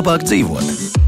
labāk dzīvot.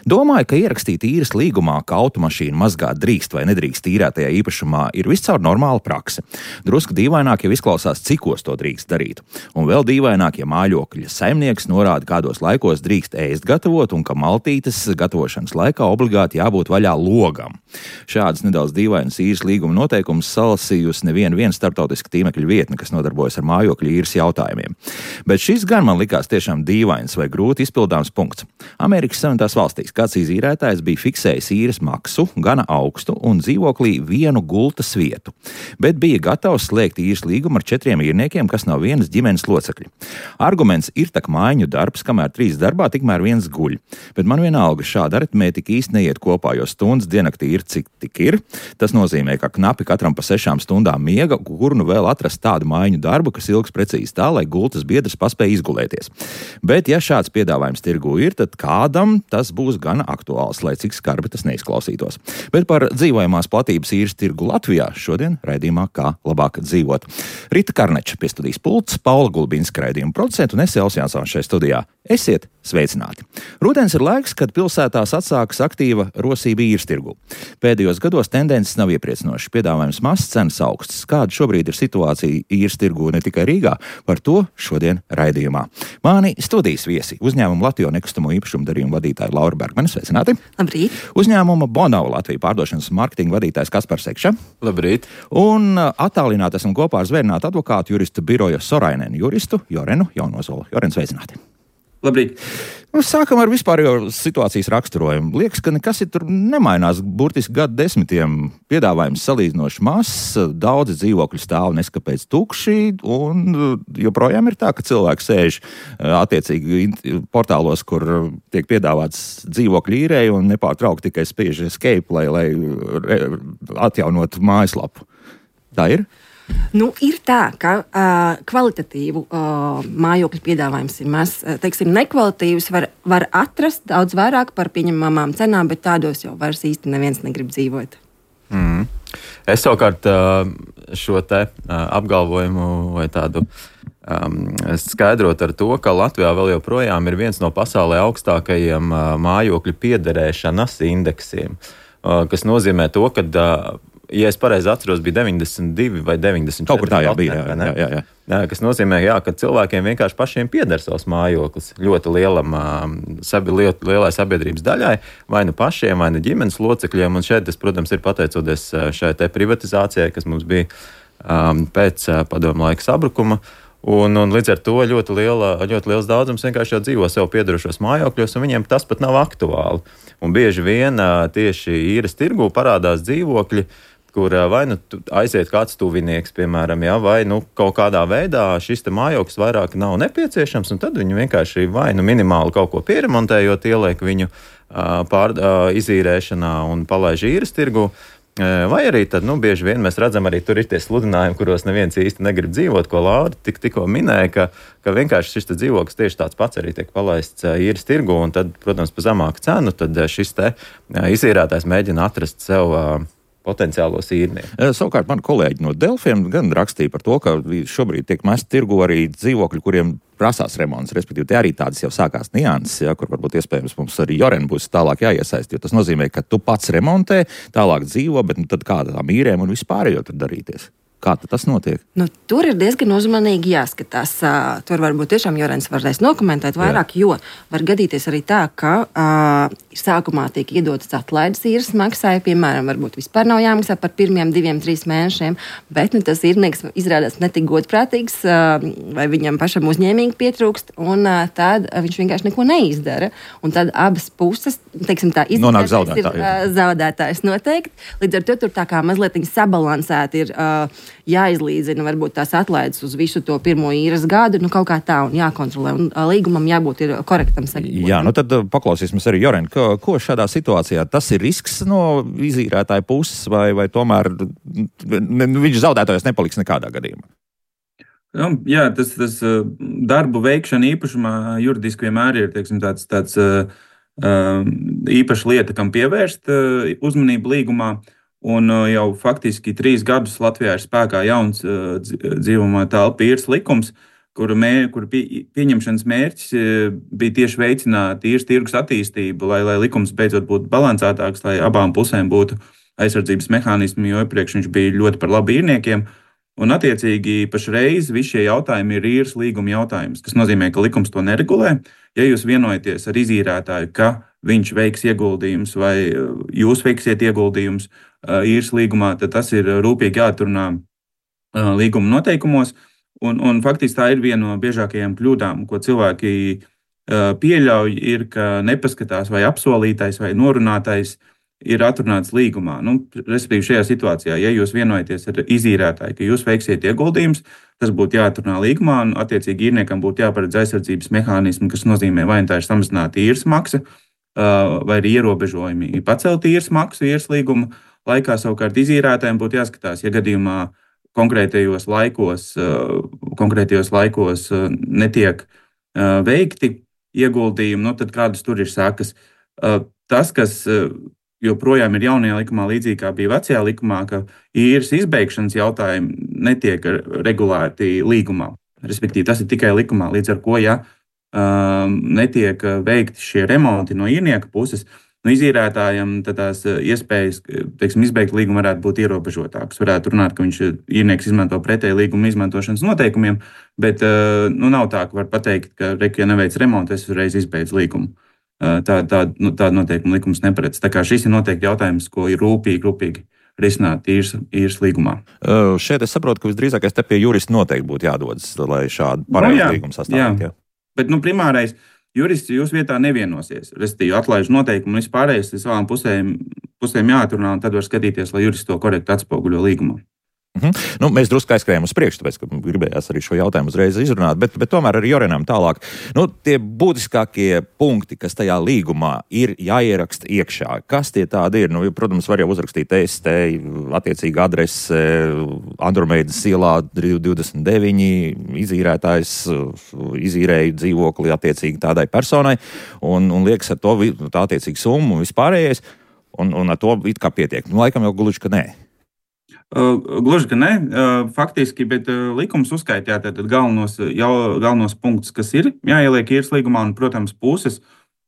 Domāju, ka ierakstīt īres līgumā, ka automašīnu mazgāt drīkst vai nedrīkst īrētajā īpašumā, ir viscaur normāla prakse. Drusku dīvaināk jau izklausās, cikos to drīkst darīt. Un vēl dīvaināk, ja mājokļa saimnieks norāda, kādos laikos drīkst ēst gatavot un ka maltītes gatavošanas laikā obligāti jābūt vaļā logam. Šādas nedaudz dīvainas īres līguma noteikumus salasījusi neviena starptautiska tīmekļa vietne, kas nodarbojas ar mājokļa īres jautājumiem. Bet šis gan man likās tiešām dīvains vai grūti izpildāms punkts. Amerikas Savienotās valstīs kāds izīrētājs bija fiksējis īres maksu, gana augstu un dzīvoklī vienu gultas vietu, bet bija gatavs slēgt īres līgumu ar 4 īrniekiem, kas nav vienas ģimenes locekļi. Arguments ir tak mājiņu darbs, kamēr 3 darbā, tikmēr 1 guļ. Bet man vienalga šāda aritmētika īsti neiet kopā, jo stundas diennaktī ir cik tik ir. Tas nozīmē, ka knapi katram pa 6 stundām miega, kur nu vēl atrast tādu mājiņu darbu, kas ilgs precīzi tā, lai gultas biedrs paspēja izgulēties. Bet ja šāds piedāvājums tirgū ir, tad kādam tas būs gana aktuāls, lai cik skarbi tas neizklausītos. Bet par dzīvojamās platības īres tirgu Latvijā šodien raidījumā Kā labāk dzīvot. Rita Karneča pie studijas pults, Paula Gulbinska raidījuma producenta un es Elsa Jansons šajā studijā. Esiet sveicināti! Rudens ir laiks, kad pilsētās atsākas aktīva rosība īres tirgu. Pēdējos gados tendences nav iepriecinošas, piedāvājums mazs, cenas augstas. Kāda šobrīd ir situācija īres tirgu ne tikai Rīgā, par to šodien raidījumā. Mani studijas viesi uzņēmuma Latjo nekustamo īpašumu darījumu vadītāja Laura Bergmane, sveicināti! Labrīt! Uzņēmuma Bonava Latvija pārdošanas un marketinga vadītājs Kaspars Sekša. Labrīt! Un attālināti esam kopā ar zvērinātu advokātu juristu biroja Sorainenu juristu Jorenu Jaunozolu. Joren, sveicināti! Labrīt! Sākam ar vispārējo situācijas raksturojumu. Liekas, ka nekas tur nemainās burtiski gadu desmitiem. Piedāvājums salīdzinoši mazs, daudzi dzīvokļi stāv neskapēc tukši, un joprojām ir tā, ka cilvēki sēž attiecīgi portālos, kur tiek piedāvāts dzīvokļu īrei un nepārtraukti tikai spiež escape, lai atjaunotu mājaslapu. Tā ir? Ir tā, ka kvalitatīvu mājokļu piedāvājums ir maz. Teiksim, nekvalitīvus var atrast daudz vairāk par pieņemamām cenām, bet tādos jau vairs īsti neviens negrib dzīvot. Es savukārt šo te apgalvojumu vai tādu skaidrot ar to, ka Latvijā vēl joprojām ir viens no pasaulē augstākajiem mājokļu piederēšanas indeksiem, kas nozīmē to, ka ja es pareizi atceros, bija 92 vai 94. Kaut kur tā jau bija, jā. Kas nozīmē, ka cilvēkiem vienkārši pašiem pieder savs mājoklis ļoti lielai sabiedrības daļai, vai nu pašiem, vai nu ģimenes locekļiem, un šeit tas, protams, ir pateicoties šai te privatizācijai, kas mums bija pēc padomu laika sabrukuma. Un līdz ar to ļoti liels daudzums vienkārši jau dzīvo sev piederošos mājokļos, un viņiem tas pat nav aktuāli. Un bieži vien tieši īres tirgū parādās dzīvokļi, kur vai nu aiziet kāds tuvinieks, piemēram, vai nu kaut kādā veidā šis te mājoklis vairāk nav nepieciešams, un tad viņi vienkārši vai nu minimāli kaut ko pieremontējot, ieliek viņu izīrēšanā un palaiž īres tirgū. Vai arī tad, bieži vien mēs redzam, arī tur ir tie sludinājumi, kuros neviens īsti negrib dzīvot, ko Laura tikko minēja, ka vienkārši šis dzīvoklis tieši tāds pats arī tiek palaists īres tirgu, un tad, protams, pa zemāku cenu, tad šis te izīrētājs mēģina atrast sev potenciālos īrniekus. Savukārt mani kolēģi no Delfiem gan rakstīja par to, ka šobrīd tiek mest tirgu arī dzīvokļi, kuriem prasās remonts, respektīvi te arī tādas jau sākās nianses, kur varbūt iespējams mums arī Joren būs tālāk jāiesaist, jo tas nozīmē, ka tu pats remontē, tālāk dzīvo, bet tad kādā tām īrēm un vispārējo tur darīties. Kā tas notiek? Tur ir diezgan uzmanīgi jāskatās. Tur varbūt tiešām Jorens varēs nokomentēt vairāk, jo var gadīties arī tā, ka sākumā tiek iedotas atlaides īres maksai, piemēram, varbūt vispār nav jāmaksā par pirmiem 2-3 mēnešiem, bet tas īrnieks izrādās netik godprātīgs, vai viņam pašam uzņēmīgi pietrūkst, un tad viņš vienkārši neko neizdara. Un tad abas puses, teiksim tā, ir zaudētājs noteikti. Līdz ar to tur tā kā mazliet sabalansēti ir jāizlīdzina varbūt tās atlaides uz visu to pirmo īres gadu, kaut kā tā, un jākontrolē, un līgumam jābūt ir korektam sekot. Jā, tad paklausīsimies arī Joren, ko šādā situācijā tas ir risks no izīrētāja puses, vai tomēr viņš zaudētājs nepaliks nekādā gadījumā? Jā, tas darbu veikšana īpašumā juridiski vienmēr ir, teiksim, tāds īpaša lieta, kam pievērst uzmanību līgumā. Un jau faktiski 3 gadus Latvijā ir spēkā jauns dzīvojamā telpu īres likums, kura pieņemšanas mērķis bija tieši veicināt īres tirgus attīstību, lai likums beidzot būtu balansētāks, lai abām pusēm būtu aizsardzības mehānismi, jo iepriekš viņš bija ļoti par labu īrniekiem. Un, attiecīgi, pašreiz visi šie jautājumi ir īres līguma jautājums, kas nozīmē, ka likums to neregulē. Ja jūs vienojaties ar izīrētāju, ka viņš veiks ieguldījumus vai jūs veiksiet ieguldījumus īres līgumā, tad tas ir rūpīgi jāatrunā līguma noteikumos. Un faktiski tā ir viena no biežākajām kļūdām, ko cilvēki pieļauj, ir, ka nepaskatās vai apsolītais vai norunātais ir atrunāts līgumā. Respektīvi, šajā situācijā, ja jūs vienojaties ar izīrētāju, ka jūs veiksiet ieguldījumus, tas būtu jāatrunā līgumā, un attiecīgi īrniekam būtu jāparedz aizsardzības mehānismi, kas nozīmē, vai tā ir samazināta īres maksa, vai arī ierobežojumi pacelt īres maksu īres līguma laikā. Savukārt izīrētājiem būtu jāskatās, ja gadījumā konkrētajos laikos netiek veikti ieguldījumi, tad kādas tur ir sekas. Tas, kas joprojām ir jaunajā likumā, līdzīgi kā bija vecajā likumā, ka īres izbeigšanas jautājumi netiek regulēti līgumā. Respektīvi, tas ir tikai likumā, līdz ar ko, ja netiek veikti šie remonti no īrnieka puses, izīrētājam tās iespējas, izbeigt līgumu varētu būt ierobežotākas. Varētu runāt, ka īrnieks izmanto pretēji līguma izmantošanas noteikumiem, bet nav tā, ka var pateikt, ka, ja neveic remontu, es uzreiz izbeidzu līgumu. Tāda noteikuma likums neparedz. Tā kā šis ir noteikti jautājums, ko ir rūpīgi risināt īres līgumā. Šeit es saprotu, ka visdrīzākais te pie jurista noteikti būtu jādodas, lai šādu pareizu līgumu sastādītu. Bet primārais jurists jūs vietā nevienosies. Respektīvi, atlaiž noteikumu un vispārējais savām pusēm jāatrunā, un tad var skatīties, lai jurists to korekti atspoguļo līgumā. Mēs drusku aizskrējām uz priekšu, tāpēc, ka gribējās arī šo jautājumu uzreiz izrunāt, bet tomēr arī Jorenam tālāk. Tie būtiskākie punkti, kas tajā līgumā ir jāieraksta iekšā, kas tie tādi ir? Protams, var jau uzrakstīt EST, attiecīga adrese, Andromēdas ielā 29, izīrētājs izīrēja dzīvokli attiecīgi tādai personai, un liekas ar to tā attiecīgi summu un vispārējais, un ar to it kā pietiek. Laikam jau gluži, ka nē. Gluži, ka ne, faktiski, bet likums uzskaitījā galvenos punktus, kas ir jāieliek īres līgumā, un, protams, puses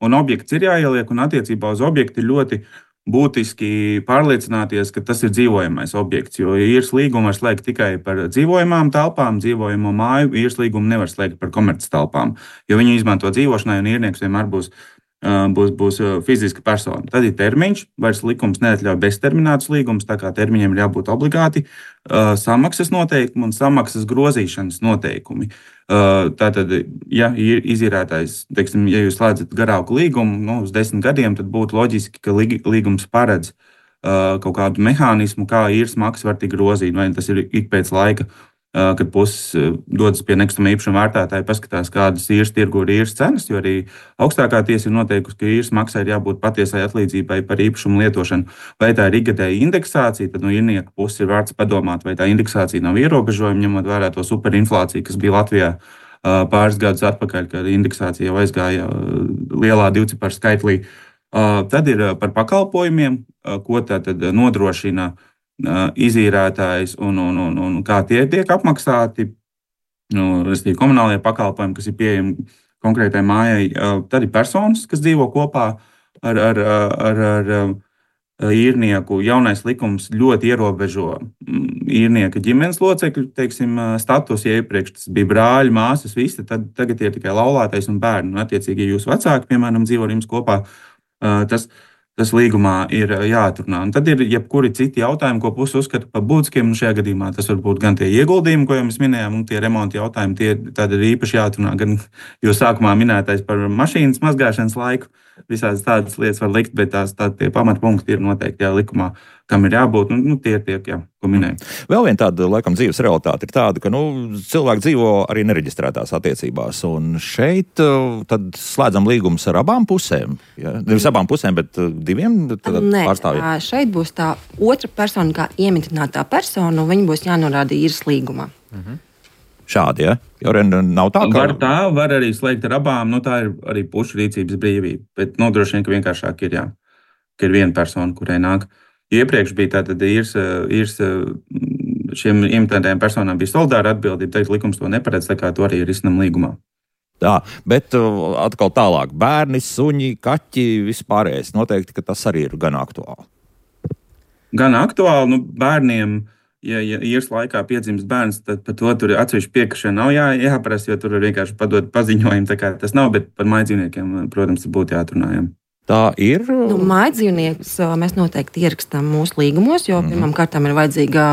un objekts ir jāieliek, un attiecībā uz objektu ir ļoti būtiski pārliecināties, ka tas ir dzīvojamais objekts, jo īres līgumu var slēgt tikai par dzīvojamām telpām, dzīvojamo māju, īres līgumu nevar slēgt par komerces telpām, jo viņi izmanto dzīvošanai, un īrnieks vienmēr būs fiziska persona. Tad ir termiņš, vairs likums neatļauj bezterminētus līgumus, tā kā termiņiem ir jābūt obligāti samaksas noteikumi un samaksas grozīšanas noteikumi. Tātad, ja ir izīrētājs, ja jūs slēdzat garāku līgumu uz 10 gadiem, tad būtu loģiski, ka līgums paredz kaut kādu mehānismu, kā īres maksa var tikt grozīt, vai tas ir ik pēc laika, kad puses dodas pie nekustamā īpašuma vērtētāja, paskatās, kādas īres tirgu ir īres cenas, jo arī augstākā tiesa ir noteikusi, ka īres maksai ir jābūt patiesai atlīdzībai par īpašumu lietošanu. Vai tā ir ikgadēja indeksācija, tad no īrnieka puses ir vērts padomāt, vai tā indeksācija nav ierobežojuma, ņemot vērā to superinflāciju, kas bija Latvijā pāris gadus atpakaļ, kad indeksācija jau aizgāja lielā divciparu skaitlī. Tad ir par pakalpojumiem, ko tad nodrošina izīrētājs un kā tie tiek apmaksāti, respektīvi komunālie pakalpojumi, kas ir pieejami konkrētai mājai. Tad ir personas, kas dzīvo kopā ar īrnieku. Jaunais likums ļoti ierobežo īrnieka ģimenes locekļu, status. Ja iepriekš tas bija brāļi, māsas, visi, tad tagad ir tikai laulātais un bērni. Un, attiecīgi, ja jūs vecāki, piemēram, dzīvo ar jums kopā, tas līgumā ir jāatrunā. Un tad ir jebkuri citi jautājumi, ko puse uzskata par būtiskiem. Šajā gadījumā tas var būt gan tie ieguldījumi, ko jau mēs minējām, un tie remonta jautājumi. Tad ir īpaši jāatrunā gan jūs sākumā minētais par mašīnas mazgāšanas laiku. Visādas tādas lietas var likt, bet tie pamatpunkti ir noteikti likumā, kam ir jābūt. Tie ir tie, ko minēju. Vēl viena tāda, laikam, dzīves realitāte ir tāda, ka cilvēki dzīvo arī nereģistrētās attiecībās. Un šeit tad slēdzam līgumus ar abām pusēm. Ja? Nevis abām pusēm, bet diviem pārstāvjiem. Nē, šeit būs tā otra persona, kā iemitinātā persona, un viņa būs jānorāda īres līgumā. Šādi, ja? Jo nav tā, ka... Var arī slēgt ar abām, tā ir arī pušu rīcības brīvība. Bet droši vien, ka vienkāršāk ir, ka ir viena persona, kurai nāk. Iepriekš bija tātad īres šiem imitētajām personām bija solidāra atbildība, tad likums to neparedz, tā kā to arī risinam līgumā. Tā, bet atkal tālāk bērni, suņi, kaķi, vispārējais noteikti, ka tas arī ir gan aktuāli. Gan aktuāli, bērniem, ja īres laikā piedzimst bērns, tad par to tur atsevišķi piekrišana nav jāprasa, jo tur ir vienkārši padot paziņojumu, tā kā tas nav, bet par mājdzīvniekiem, protams, būtu jāatrunājam. Tā ir. Mājdzīvniekus mēs noteikti ierakstām mūsu līgumos, jo pirmām kārtām ir vajadzīga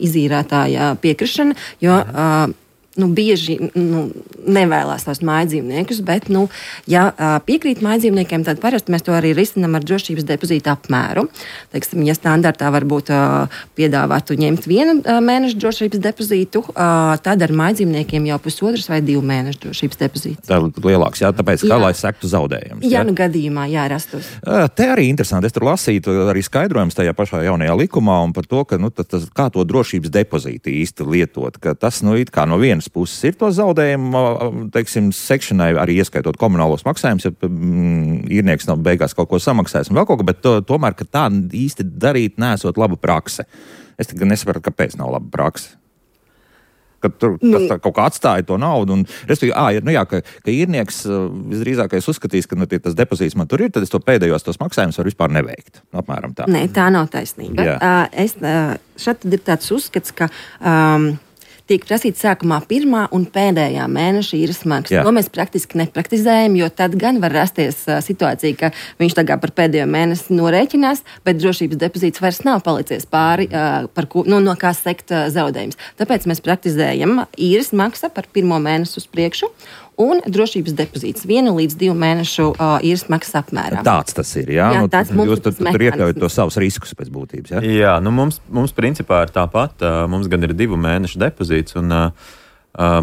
izīrētāja piekrišana, jo bieži nevēlās tos mājdzīvniekus, bet, ja piekrīt mājdzīvniekiem, tad parasti mēs to arī risinām ar drošības depozītu apmēru. Teiksim, ja standartā varbūt piedāvātu ņemt 1 mēnešu drošības depozītu, tad ar mājdzīvniekiem jau 1,5 vai 2 mēnešu drošības depozīts. Tā ir lielāks, tāpēc, kā lai sektu zaudējums. Jā, gadījumā, rastos. Te arī interesanti, es tur lasītu arī skaidrojums tajā pašā jaunajā likumā un par to, ka, kā to drošības depozītu īsti lietot, ka tas, it kā no vienas puses ir to zaudējumu, teiksim, sekšanai, arī ieskaitot komunālos maksājumus, ja īrnieks nav beigās kaut ko samaksājis un vēl kaut ko, bet tomēr, ka tā īsti darīt nesot laba prakse. Es tikai nesapratu, kāpēc nav laba prakse. Ka tur tas kaut kā atstāja to naudu. Ka īrnieks visdrīzākais uzskatīs, ka tas depozīts man tur ir, tad es to pēdējos tos maksājumus varu vispār neveikt. Apmēram tā. Nē, tā nav taisnība. Šeit ir tāds uzskats, ka tiek prasīts sākumā 1. un pēdējā mēneša īres maksa. To mēs praktiski nepraktizējam, jo tad gan var rasties situācija, ka viņš tagad par pēdējo mēnesi norēķinās, bet drošības depozīts vairs nav palicies pāri, no kā sekt zaudējums. Tāpēc mēs praktizējam īres maksa par 1. mēnesi uz priekšu un drošības depozīts 1 līdz 2 mēnešu īres maksas apmērā. Tāds tas ir, jā? Jūs tur iekļaujat to savus riskus pēc būtības, jā? Jā, mums principā ir tāpat. Mums gan ir 2 mēnešu depozīts un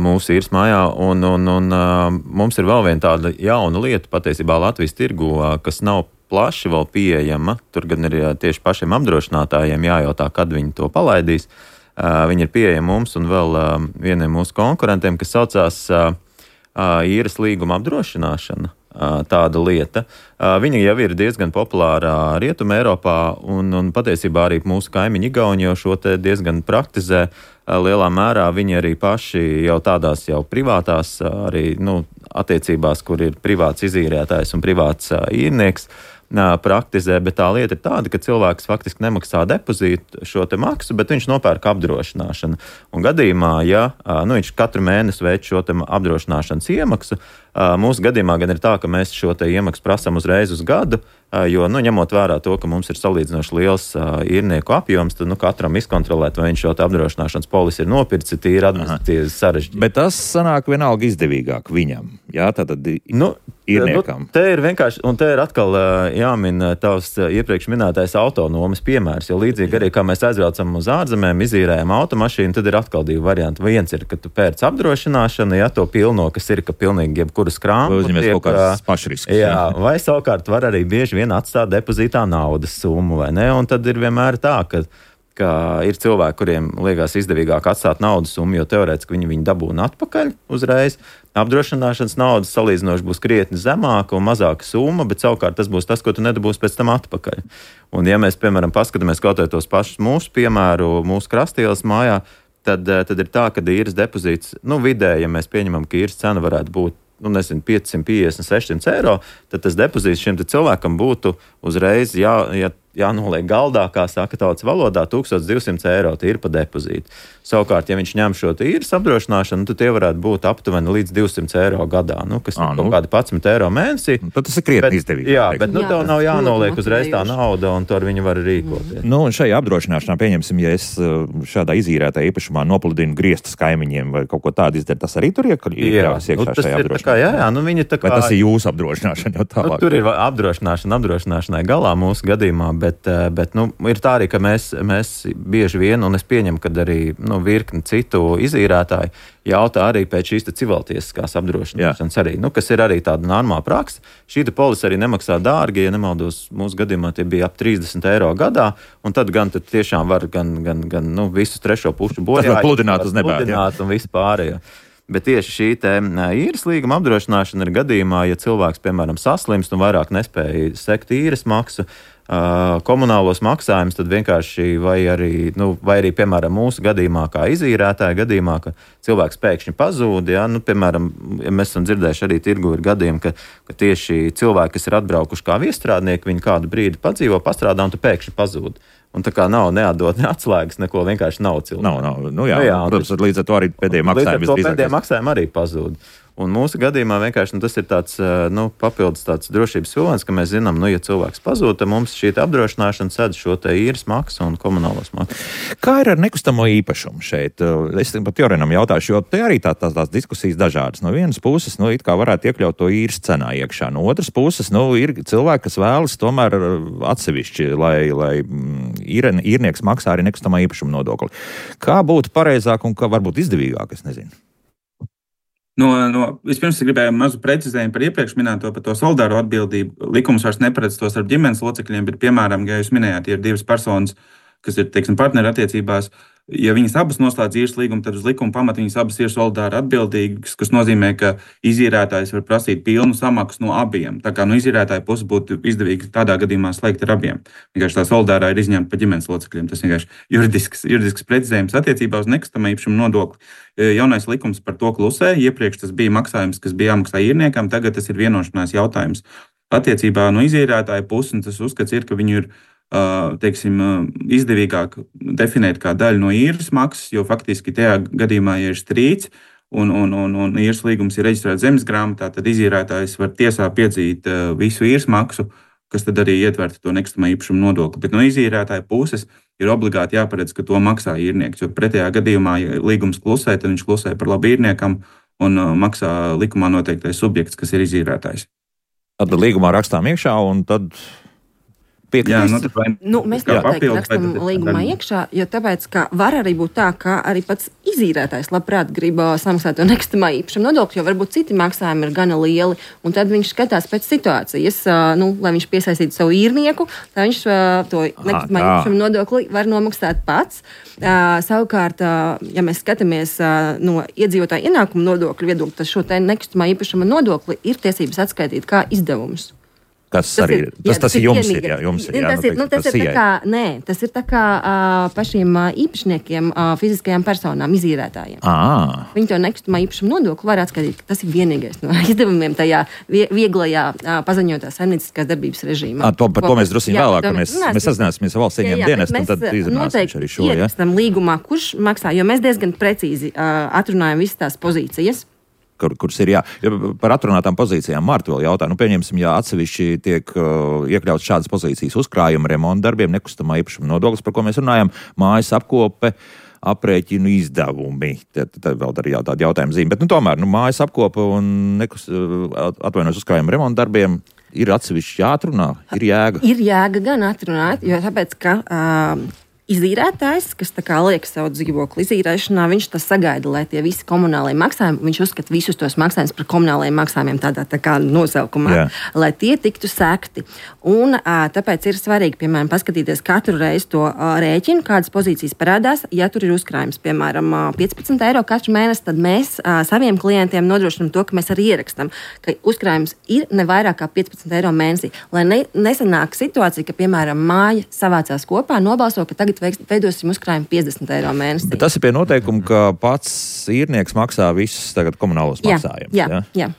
mūsu īres mājā, un mums ir vēl viena tāda jauna lieta patiesībā Latvijas tirgu, kas nav plaši vēl pieejama. Tur gan ir tieši pašiem apdrošinātājiem jājautā, kad viņi to palaidīs. Viņi ir pieejami mums un vēl vieniem mūsu konkurentiem, kas saucās īres līguma apdrošināšana, tāda lieta. Viņa jau ir diezgan populāra Rietumē Eiropā, un patiesībā arī mūsu kaimiņi Igauni jau šo te diezgan praktizē. Lielā mērā viņi arī paši jau tādās jau privātās arī, attiecībās, kur ir privāts izīrētājs un privāts īrnieks, praktizē, bet tā lieta ir tāda, ka cilvēks faktiski nemaksā depozītu šo te maksu, bet viņš nopērk apdrošināšanu. Un gadījumā, ja viņš katru mēnesi veic šo te apdrošināšanas iemaksu, mūsu gadījumā gan ir tā, ka mēs šo te iemaksu prasam uzreiz uz gadu, jo, ņemot vērā to, ka mums ir salīdzinoši liels īrnieku apjoms, tad katram izkontrolēt, vai viņš šo te apdrošināšanas polisi ir nopircis, ir administratīvi sarežģīti. Bet tas sanāk vienalga izdevīgāk viņam, jā, tātad īrniekam. Te ir vienkārši, un te ir atkal jāmin tavs iepriekš minētais autonomas piemērs, jo līdzīgi arī, kā mēs aizbraucam uz ārzemēm, izīrējam automašīnu, tad ir atkal 2 varianti. Viens ir, ka tu pērc apdrošināšanu, to pilno, kas ir, ka pilnīgi jebkuras krāmas. Uzņemies kaut kāds pašrisks. Jā, vai savukārt var arī bieži vien atstāt depozītā naudas summu, vai ne? Un tad ir vienmēr tā, ka ir cilvēki, kuriem liekas izdevīgāk atstāt naudas summu, jo teorētiski viņi dabūna atpakaļ uzreiz. Apdrošināšanas naudas salīdzinoši būs krietni zemāka un mazāka summa, bet savukārt tas būs tas, ko tu nedabūsi pēc tam atpakaļ. Un ja mēs, piemēram, paskatāmies kaut tos pašus mūsu piemēru, mūsu Krastielas mājā, tad ir tā, ka īres depozīts, vidēji, ja mēs pieņemam, ka īres cena varētu būt 550, 600 eiro, tad tas depozīts šim cilvēkam būtu uzreiz jānoliek galdā, kā saka tautas valodā, 1200 eiro tīri pa depozītu. Savukārt, ja viņš ņem šo īres apdrošināšanu, tad tie varētu būt aptuveni līdz 200 eiro gadā, kas ir kaut kādi 11 eiro mēnesī. Tad tas ir krietni izdevīgi. Jā, bet tev nav jānoliek uzreiz tā nauda, un to ar viņu var rīkoties. Un šajā apdrošināšanā, pieņemsim, ja es šādā izīrētā īpašumā nopludinu griestus kaimiņiem vai kaut ko tādu izdaru, tas arī tur iekļaujas iekšā šajā apdrošināšanā. Viņi tā kā... Vai tas ir jūsu apdrošināšana jau tālāk? Tur ir apdrošināšanai galā mūsu gadījumā, bet ir tā arī, ka mēs bieži vien, un es pieņemu, kad arī virkni citu izīrētāji jautā arī pēc šīs civiltiesiskās apdrošināšanas arī, kas ir arī tāda normāla praksa. Šī polise arī nemaksā dārgi, ja nemaldos, mūsu gadījumā tie bija ap 30 eiro gadā, un tad gan tad tiešām var gan visus trešo pušu bojā. Tas var pludināt uz nebēdu. Un visu pārējo. Bet tieši šī īres līguma apdrošināšana ir gadījumā, ja cilvēks, piemēram, saslimst un vairāk nespēja sekt īres maksu, komunālos maksājumus, tad vienkārši vai arī, piemēram, mūsu gadījumā, kā izīrētāja gadījumā, ka cilvēks pēkšņi pazūd, piemēram, ja mēs esam dzirdējuši arī tirgu ir gadījumi, ka tieši cilvēki, kas ir atbraukuši kā viestrādnieki, viņi kādu brīdi padzīvo, pastrādā un tu pēkšņi pazūd. Un tā kā nav neatdot ne atslēgas, neko vienkārši nav cilvēku. Nav. Protams, līdz ar to arī pēdējie maksājumi arī pazūd. Un mūsu gadījumā vienkārši tas ir tāds papildus tāds drošības vilnis, ka mēs zinām, ja cilvēks pazūd, tad mums šī apdrošināšana sedz šo te īres maksu un komunālos maksu. Kā ir ar nekustamo īpašumu šeit? Es pat Jorenam jautāšu, jo te arī tās diskusijas dažādas. No vienas puses, it kā varētu iekļaut to īres cenā iekšā. No otras puses, ir cilvēki, kas vēlas tomēr atsevišķi, lai īrnieks maksā arī nekustamā īpašuma nodokli. Kā būtu pareizāk un kā varbūt izdevīgāk, es nezinu. Vispirms es gribēju mazu precizējumu par iepriekš minēto par to solidāro atbildību. Likums vairs neparedz to starp ģimenes locekļiem, bet, piemēram, ja jūs minējāt, ir divas personas, kas ir, partneri attiecībās, ja viņas abas noslēdz īres līgumu, tad uz likuma pamata viņas abas ir solidāri atbildīgas, kas nozīmē, ka izīrētājs var prasīt pilnu samaksu no abiem. Tā kā no izīrētāja puses būtu izdevīgi tādā gadījumā slēgt ar abiem. Vienkārši tā solidārā ir izņemta par ģimenes locekļiem. Tas vienkārši juridisks precizējums attiecībā uz nekustamā īpašuma nodokli. Jaunais likums par to klusē. Iepriekš tas bija maksājums, kas bija jāmaksā īrniekam, tagad tas ir vienošanās jautājums. Attiecībā no izīrētāja puses, un tas uzskats ir, ka viņu ir izdevīgāk definēt kā daļu no īres maksas, jo faktiski tajā gadījumā, ja ir strīds un īres līgums ir reģistrēts zemes grāmatā, tad izīrētājs var tiesā piedzīt visu īres maksu, kas tad arī ietvertu to nekustamā īpašuma nodokli. Bet no izīrētāja puses ir obligāti jāparedz, ka to maksā īrnieks, jo pretējā gadījumā, ja līgums klusē, tad viņš klusē par labu īrniekam un maksā likumā noteiktais subjekts, kas ir izīrētājs. Tad līgumā rakstām iekšā un tad... Mēs noteikti rakstam līgumā iekšā, jo tāpēc, ka var arī būt tā, ka arī pats izīrētājs labprāt grib samaksāt to nekustamā īpašuma nodokli, jo varbūt citi maksājumi ir gana lieli, un tad viņš skatās pēc situācijas, lai viņš piesaistītu savu īrnieku, tad viņš to nekustamā īpašuma nodokli var nomaksāt pats. Savukārt, ja mēs skatāmies no iedzīvotāju ienākumu nodokļu viedokļa, tad šo te nekustamā īpašuma nodokli ir tiesības atskaitīt kā izdevumus. Tas ir jums ir. Tas ir tā kā pašiem īpašniekiem, fiziskajām personām, izīrētājiem. Viņi to nekustamā īpašuma nodokli var atskaitīt, ka tas ir vienīgais no izdevumiem tajā vieglajā paziņotā saimnieciskās darbības režīmā. Par to mēs drusciņi vēlāk, ka mēs sazināsimies ar valsts ieņēmumu dienestu, un tad izrunāsim arī šo. Ierakstam līgumā, kurš maksā, jo mēs diezgan precīzi atrunājam visas tās pozīcijas. Kuras ir par atrunātām pozīcijām Marta vēl jautā. Pieņemsim, ja atsevišķi tiek iekļauts šādas pozīcijas uzkrājuma remonta darbiem, nekustamā īpašuma nodoklis, par ko mēs runājam, mājas apkope, aprēķinu izdevumi. Tad vēl arī tāda jautājuma zīme. Bet tomēr mājas apkope un uzkrājuma remonta darbiem ir atsevišķi jāatrunā, ir jēga. Ir jēga gan atrunāt, jo tāpēc, ka izīrētājs, kas tā kā liek savu dzīvokli izīrēšanā, viņš tas sagaida, lai tie visi komunālie maksājumi, viņš uzskata visus tos maksājumus par komunālajiem maksājumiem tādā tā kā nosaukumā, lai tie tiktu sekti. Un tāpēc ir svarīgi, piemēram, paskatīties katru reizi to rēķinu, kādas pozīcijas parādās. Ja tur ir uzkrājums, piemēram, 15 eiro katru mēnesi, tad mēs saviem klientiem nodrošinām to, ka mēs arī ierakstam, ka uzkrājums ir ne vairāk kā 15 eiro mēnesī, lai nesanāk situācija, ka, piemēram, māja savācās kopā, nobalso, ka tagad veidosim uzkrājumu 50 eiro mēnesī. Bet tas ir pie noteikuma, ka pats īrnieks maksā visus tagad komunālos maksājumus. Jā.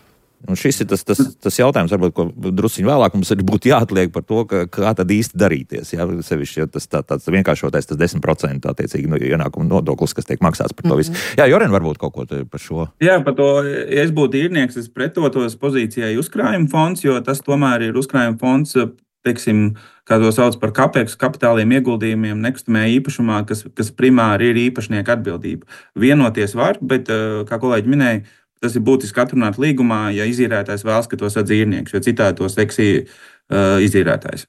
Un šis ir tas jautājums, varbūt, ko drusciņi vēlāk mums arī būtu jāatliek par to, kā tad īsti darīties. Jā, sevišķi, ja tas vienkāršotais, tas 10% attiecīgi ienākuma nodoklis, kas tiek maksāts par to visu. Jā, Joren, varbūt kaut ko par šo. Jā, par to, ja es būtu īrnieks, es pretotos pozīcijai uzkrājuma fonds, jo tas tomēr ir uzkrājuma fonds, teiksim, kā to sauc par CAPEX, kapitāliem ieguldījumiem nekustamajā īpašumā, kas primāri ir īpašnieka atbildība. Vienoties var, bet, kā kolēģi minēja, tas ir būtiski atrunāt līgumā, ja izīrētājs vēlas, ka to sadz īrnieks, jo citādi to seksī izīrētājs.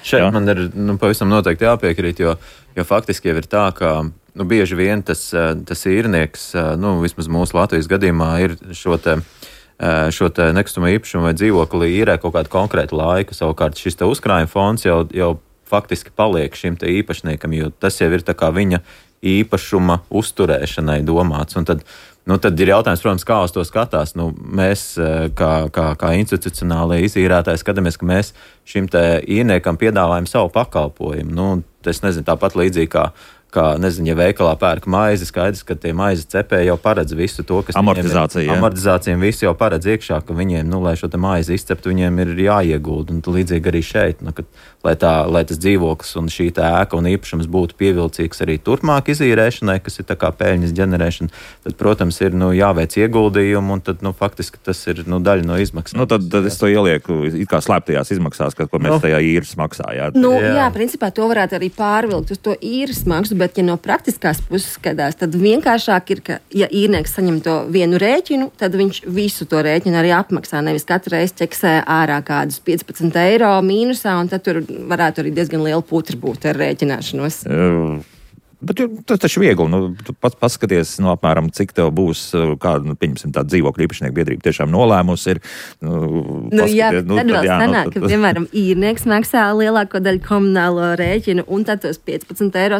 Šeit man ir pavisam noteikti jāpiekrīt, jo faktiski jau ir tā, ka bieži vien tas īrnieks, vismaz mūsu Latvijas gadījumā, ir šo te nekustamo īpašumu vai dzīvokli īrē kaut kādu konkrētu laiku. Savukārt šis te uzkrājuma fonds jau faktiski paliek šim te īpašniekam, jo tas jau ir tā kā viņa īpašuma uzturēšanai domāts. Un tad ir jautājums, protams, kā uz to skatās. Mēs, kā institucionālie izīrētāji, skatāmies, ka mēs šim te īrniekam piedāvājam savu pakalpojumu. Es nezinu, tāpat līdzīgi kā nezinu, ja veikalā pērk maizi, skaidrs, ka tie maizes cepēji jau paredz visu to, kas amortizācijām visu jau paredz iekšā, ka viņiem, lai šo te maizi izceptu, viņiem ir jāiegulda. Un līdzīgi arī šeit, lai tas dzīvoklis un šī tā ēka un īpašums būtu pievilcīgs arī turpmāk izīrēšanai, kas ir tā kā peļņas ģenerēšana, tad, protams, ir jāveic ieguldījumi, un tad, faktiski tas ir daļa no izmaksām. Tad es to ielieku it kā slēptajās izmaksās, ko mēs tajā īres maksājām. Jā, principā to varētu arī pārvilkt uz to īres maksu, bet, ja no praktiskās puses skatās, tad vienkāršāk ir, ka, ja īrnieks saņem to vienu rēķinu, tad viņš visu to rēķinu arī apmaksā. Nevis katru reizi ķeksē ārā kādus 15 eiro mīnusā, un tad tur varētu arī diezgan liela putra būt ar rēķināšanos. Bet tas taču viegli. Tu pats paskaties, apmēram, cik tev būs, kāda, pieņemsim, tāda dzīvokļu īpašnieku biedrība tiešām nolēmusi ir. Tad vēl sanāk, ka, piemēram, īrnieks maksā lielāko daļu komunālo rēķinu, un tad tos 15 eiro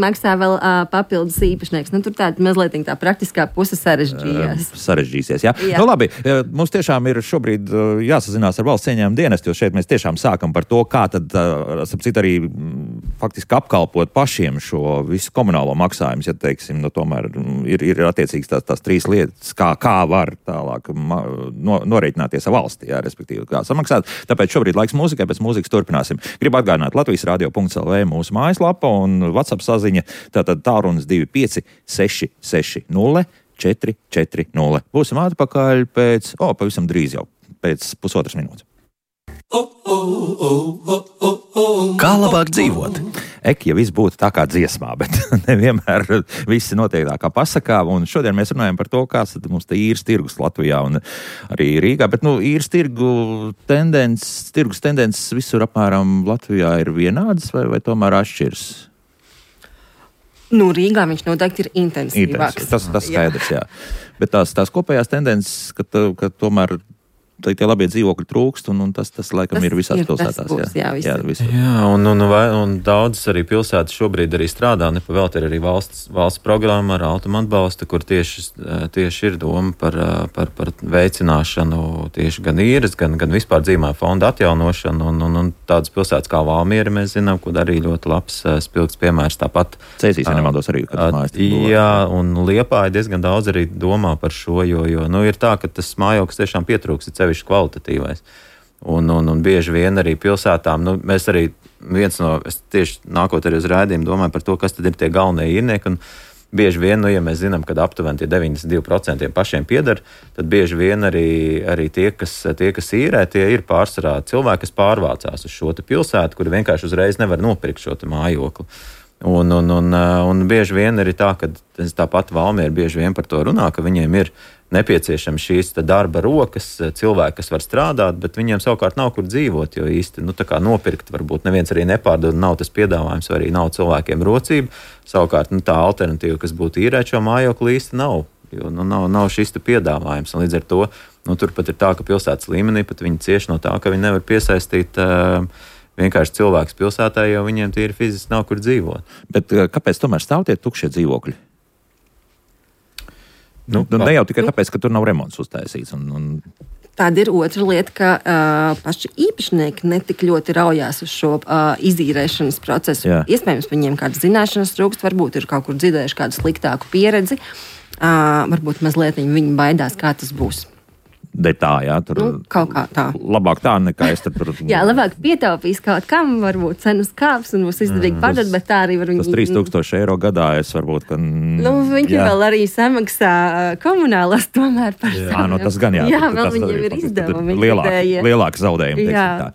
maksā vēl papildus īpašnieks. Tur tāda mazliet tā praktiskā puse sarežģīsies, jā. Labi, mums tiešām ir šobrīd jāsazinās ar valsts ieņēmumu dienestu, jo šeit mēs tiešām sākam par to, kā tad, sapcīt, arī faktiski apkalpot pašiem šo visu komunālo maksājumus, ja teiksim, tomēr ir attiecīgs tās trīs lietas, kā var tālāk norēķināties ar valsti, jā, respektīvi, kā samaksāt. Tāpēc šobrīd laiks mūzikai, pēc mūzikas turpināsim. Gribu atgādināt Latvijas radio.lv mūsu mājaslapa un WhatsApp saziņa, tātad tālrunis 25 660 440. Būsim atpakaļ pavisam drīz jau, pēc pusotras minūtes. Kā labāk dzīvot? Ja viss būtu tā kā dziesmā, bet nevienmēr viss notiek tā kā pasakā. Un šodien mēs runājam par to, kāds tad mums te īres tirgus Latvijā un arī Rīgā. Bet īres tirgus tendences visur apmēram Latvijā ir vienādas vai tomēr atšķiras? Rīgā viņš noteikti ir intensīvāks. Tas skaidrs, jā. Bet tās kopējās tendences, ka tomēr tie labie dzīvokļi trūkst, un tas laikam ir visās pilsētās. Un daudzas arī pilsētas šobrīd arī strādā, nepavēlti ir arī valsts programma ar automu atbalstu, kur tieši ir doma par veicināšanu tieši gan īres, gan vispār dzīvojamā fonda atjaunošanu, un tādas pilsētas kā Valmiera mēs zinām, kur arī ļoti labs spilgts piemērs tāpat. Cēsīs, ja nemaldos arī, kad mājas. Jā, un Liepāja diezgan daudz arī domā par šo, jo ir tā, ka tas mājoklis tiešām pietrūks, ir sevišķi kvalitatīvais. Un bieži vien arī pilsētām, mēs arī es tieši nākot arī uz rādījumu domāju par to, kas tad ir tie galvenie īrnieki, un bieži vien, ja mēs zinām, ka aptuveni tie 92% pašiem pieder, tad bieži vien arī tie, kas īrē, tie ir pārsvarā cilvēki, kas pārvācās uz šo te pilsētu, kuri vienkārši uzreiz nevar nopirkt šo te mājokli. Un bieži vien ir tā, ka tāpat Valmiera bieži vien par to runā, ka viņiem ir nepieciešams šīs darba rokas, cilvēki, kas var strādāt, bet viņiem savukārt nav kur dzīvot, jo īsti tā kā nopirkt varbūt neviens arī nepārdod, nav tas piedāvājums, vai arī nav cilvēkiem rocība. Savukārt tā alternatīva, kas būtu īrēt šo mājokli, īsti nav, jo nav šis piedāvājums. Un līdz ar to turpat ir tā, ka pilsētas līmenī pat viņi cieš no tā, ka viņi nevar piesaistīt vienkārši cilvēks pilsētā, jo viņiem tīri fiziski nav kur dzīvot. Bet kāpēc tomēr stāv tie tukšie dzīvokļi? Ne jau tikai tāpēc, ka tur nav remonts uztaisīts. Tāda ir otra lieta, ka paši īpašnieki netik ļoti raujās uz šo izīrēšanas procesu. Jā. Iespējams, viņiem kādas zināšanas trūkst, varbūt ir kaut kur dzirdējuši kādu sliktāku pieredzi. Varbūt mazliet viņi baidās, kā tas būs. Tā, jā, tur kaut kā tā. Labāk tā nekā es tur. Jā, labāk pietaupīs kaut kam, varbūt cenas kāps un būs izdevīgi padot, bet tā arī var viņi. Tas 3000 eiro gadā es varbūt, ka. Viņi vēl arī samaksā komunālās tomēr par savu. Tas gan jā. Jā, vēl viņiem ir izdevumi. Lielāki zaudējumi, teiksim tā.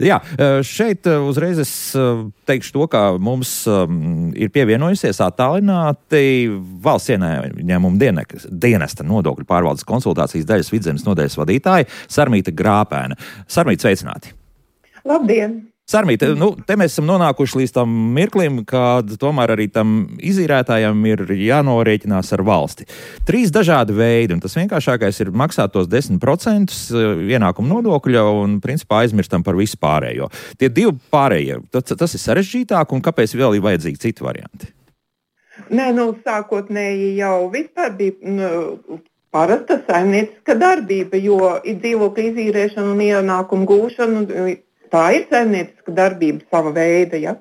Jā, šeit uzreiz es teikšu to, ka mums ir pievienojusies attālināti valsts ieņēmuma dienesta nodokļu pārvaldes konsultācijas daļas Vidzemes nodaļas vadītāja Sarmīta Grāpēna. Sarmīta, sveicināti! Labdien! Sarmīta, te mēs esam nonākuši līdz tam mirklim, kad tomēr arī tam izīrētājam ir jānorēķinās ar valsti. 3 dažādi veidi, un tas vienkāršākais ir maksāt tos 10% ienākuma nodokļa un principā aizmirstam par visu pārējo. Tie 2 pārējie, tas ir sarežģītāk, un kāpēc vēl ir vajadzīgi citi varianti? Nē, sākotnēji jau vispār bija parasta saimnieciska darbība, jo dzīvokļa izīrēšana un ienākumu gūšana, tā ir saimnieciska darbība sava veida, ja,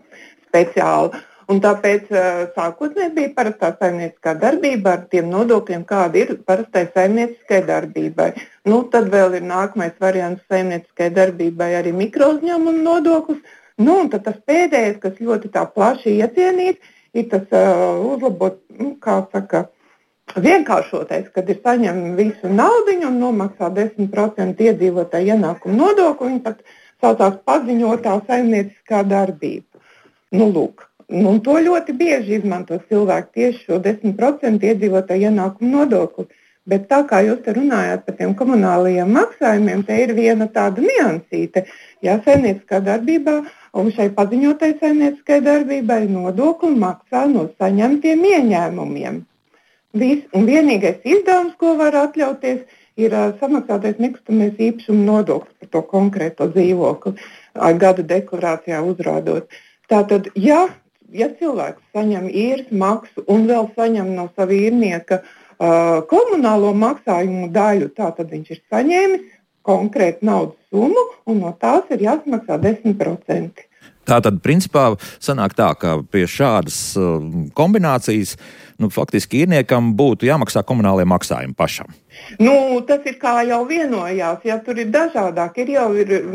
speciāla. Un tāpēc sākotnēji bija parastā saimnieciskā darbība ar tiem nodokļiem, kāda ir parastai saimnieciskai darbībai. Tad vēl ir nākamais variants saimnieciskai darbībai arī mikrouzņēmuma nodoklis. Un tad tas pēdējais, kas ļoti tā plaši iecienīts, ir tas uzlabot, vienkāršotais, kad ir saņem visu naudiņu un nomaksā 10% iedzīvotāju ienākumu nodokli, viņi pat saucās paziņotā saimnieciskā darbība. Lūk. Un to ļoti bieži izmanto cilvēki tieši šo 10% iedzīvotāju ienākumu nodokli. Bet tā kā jūs te runājāt par tiem komunālajiem maksājumiem, te ir viena tāda niansīte. Jā, saimnieciskā darbībā un šai paziņotai saimnieciskai darbībai nodokli maksā no saņemtiem ieņēmumiem. Un vienīgais izdevums, ko var atļauties, ir samaksātais nekustamais īpašuma nodoklis par to konkrēto dzīvokli, gada deklarācijā uzrādot. Tātad, ja cilvēks saņem īres maksu un vēl saņem no sava īrnieka komunālo maksājumu daļu, tātad viņš ir saņēmis konkrētu naudas summu un no tās ir jāsamaksā 10%. Tātad, principā, sanāk tā, ka pie šādas kombinācijas, faktiski īrniekam būtu jāmaksā komunālie maksājumi pašam. Tas ir kā jau vienojās, ja tur ir dažādāk.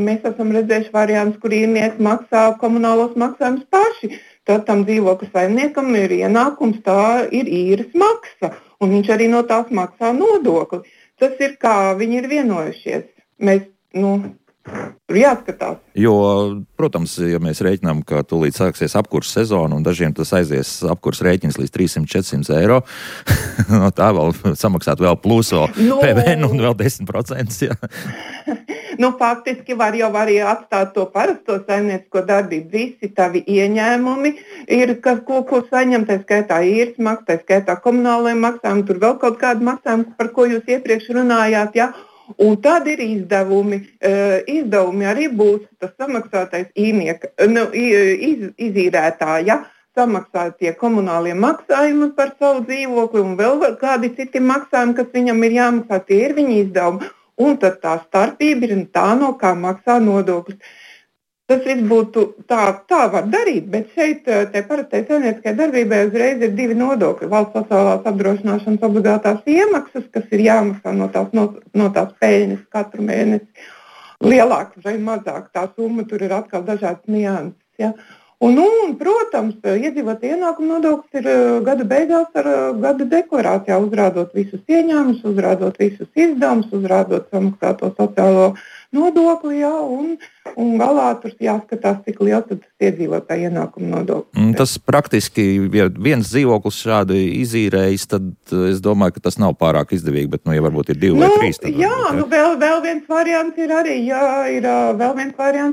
Mēs esam redzējuši variants, kur īrnieki maksā komunālos maksājumus paši. Tad tam dzīvokļa saimniekam ir ienākums, tā ir īres maksa, un viņš arī no tās maksā nodokli. Tas ir kā viņi ir vienojušies. Mēs, tur jāskatās. Jo, protams, ja mēs rēķinām, ka tūlīt sāksies apkurss sezona un dažiem tas aizies apkurss rēķins līdz 300-400 eiro, no tā vēl samaksāt vēl plus vēl PVN un vēl 10%. Jā. Faktiski var jau arī atstāt to parasto saimniecisko darbību. Visi tavi ieņēmumi ir, ko saņem, tā skaitā īres maksa, tā skaitā komunālajiem maksājumiem, tur vēl kaut kādi maksājumi, par ko jūs iepriekš runājāt, ja? Un tad ir izdevumi. Izdevumi arī būs tas samaksātais īrnieka, izīrētāja, samaksā tie komunālie maksājumi par savu dzīvokli un vēl kādi citi maksājumi, kas viņam ir jāmaksā, tie ir viņa izdevumi. Un tad tā starpība ir tā, no kā maksā nodokļus. Tas viss būtu tā var darīt, bet šeit te parastai saimnieciskai darbībai uzreiz ir divi nodokļi. Valsts sociālās apdrošināšanas obligātās iemaksas, kas ir jāmaksā no tās peļņas katru mēnesi. Lielāks vai mazāk tā summa, tur ir atkal dažādas nianses. Ja? Un, protams, iedzīvotāju ienākumu nodoklis ir gada beigās ar gada deklarācijā, uzrādot visus ieņēmumus, uzrādot visus izdevumus, uzrādot samaksāto sociālo nodokli, jā, un galā tur jāskatās, cik liels tad tas iedzīvotāju ienākumu nodoklis. Tas praktiski, ja viens dzīvoklis šādi izīrējis, tad es domāju, ka tas nav pārāk izdevīgi, bet, ja varbūt ir 2 vai 3. Tad vēl viens variants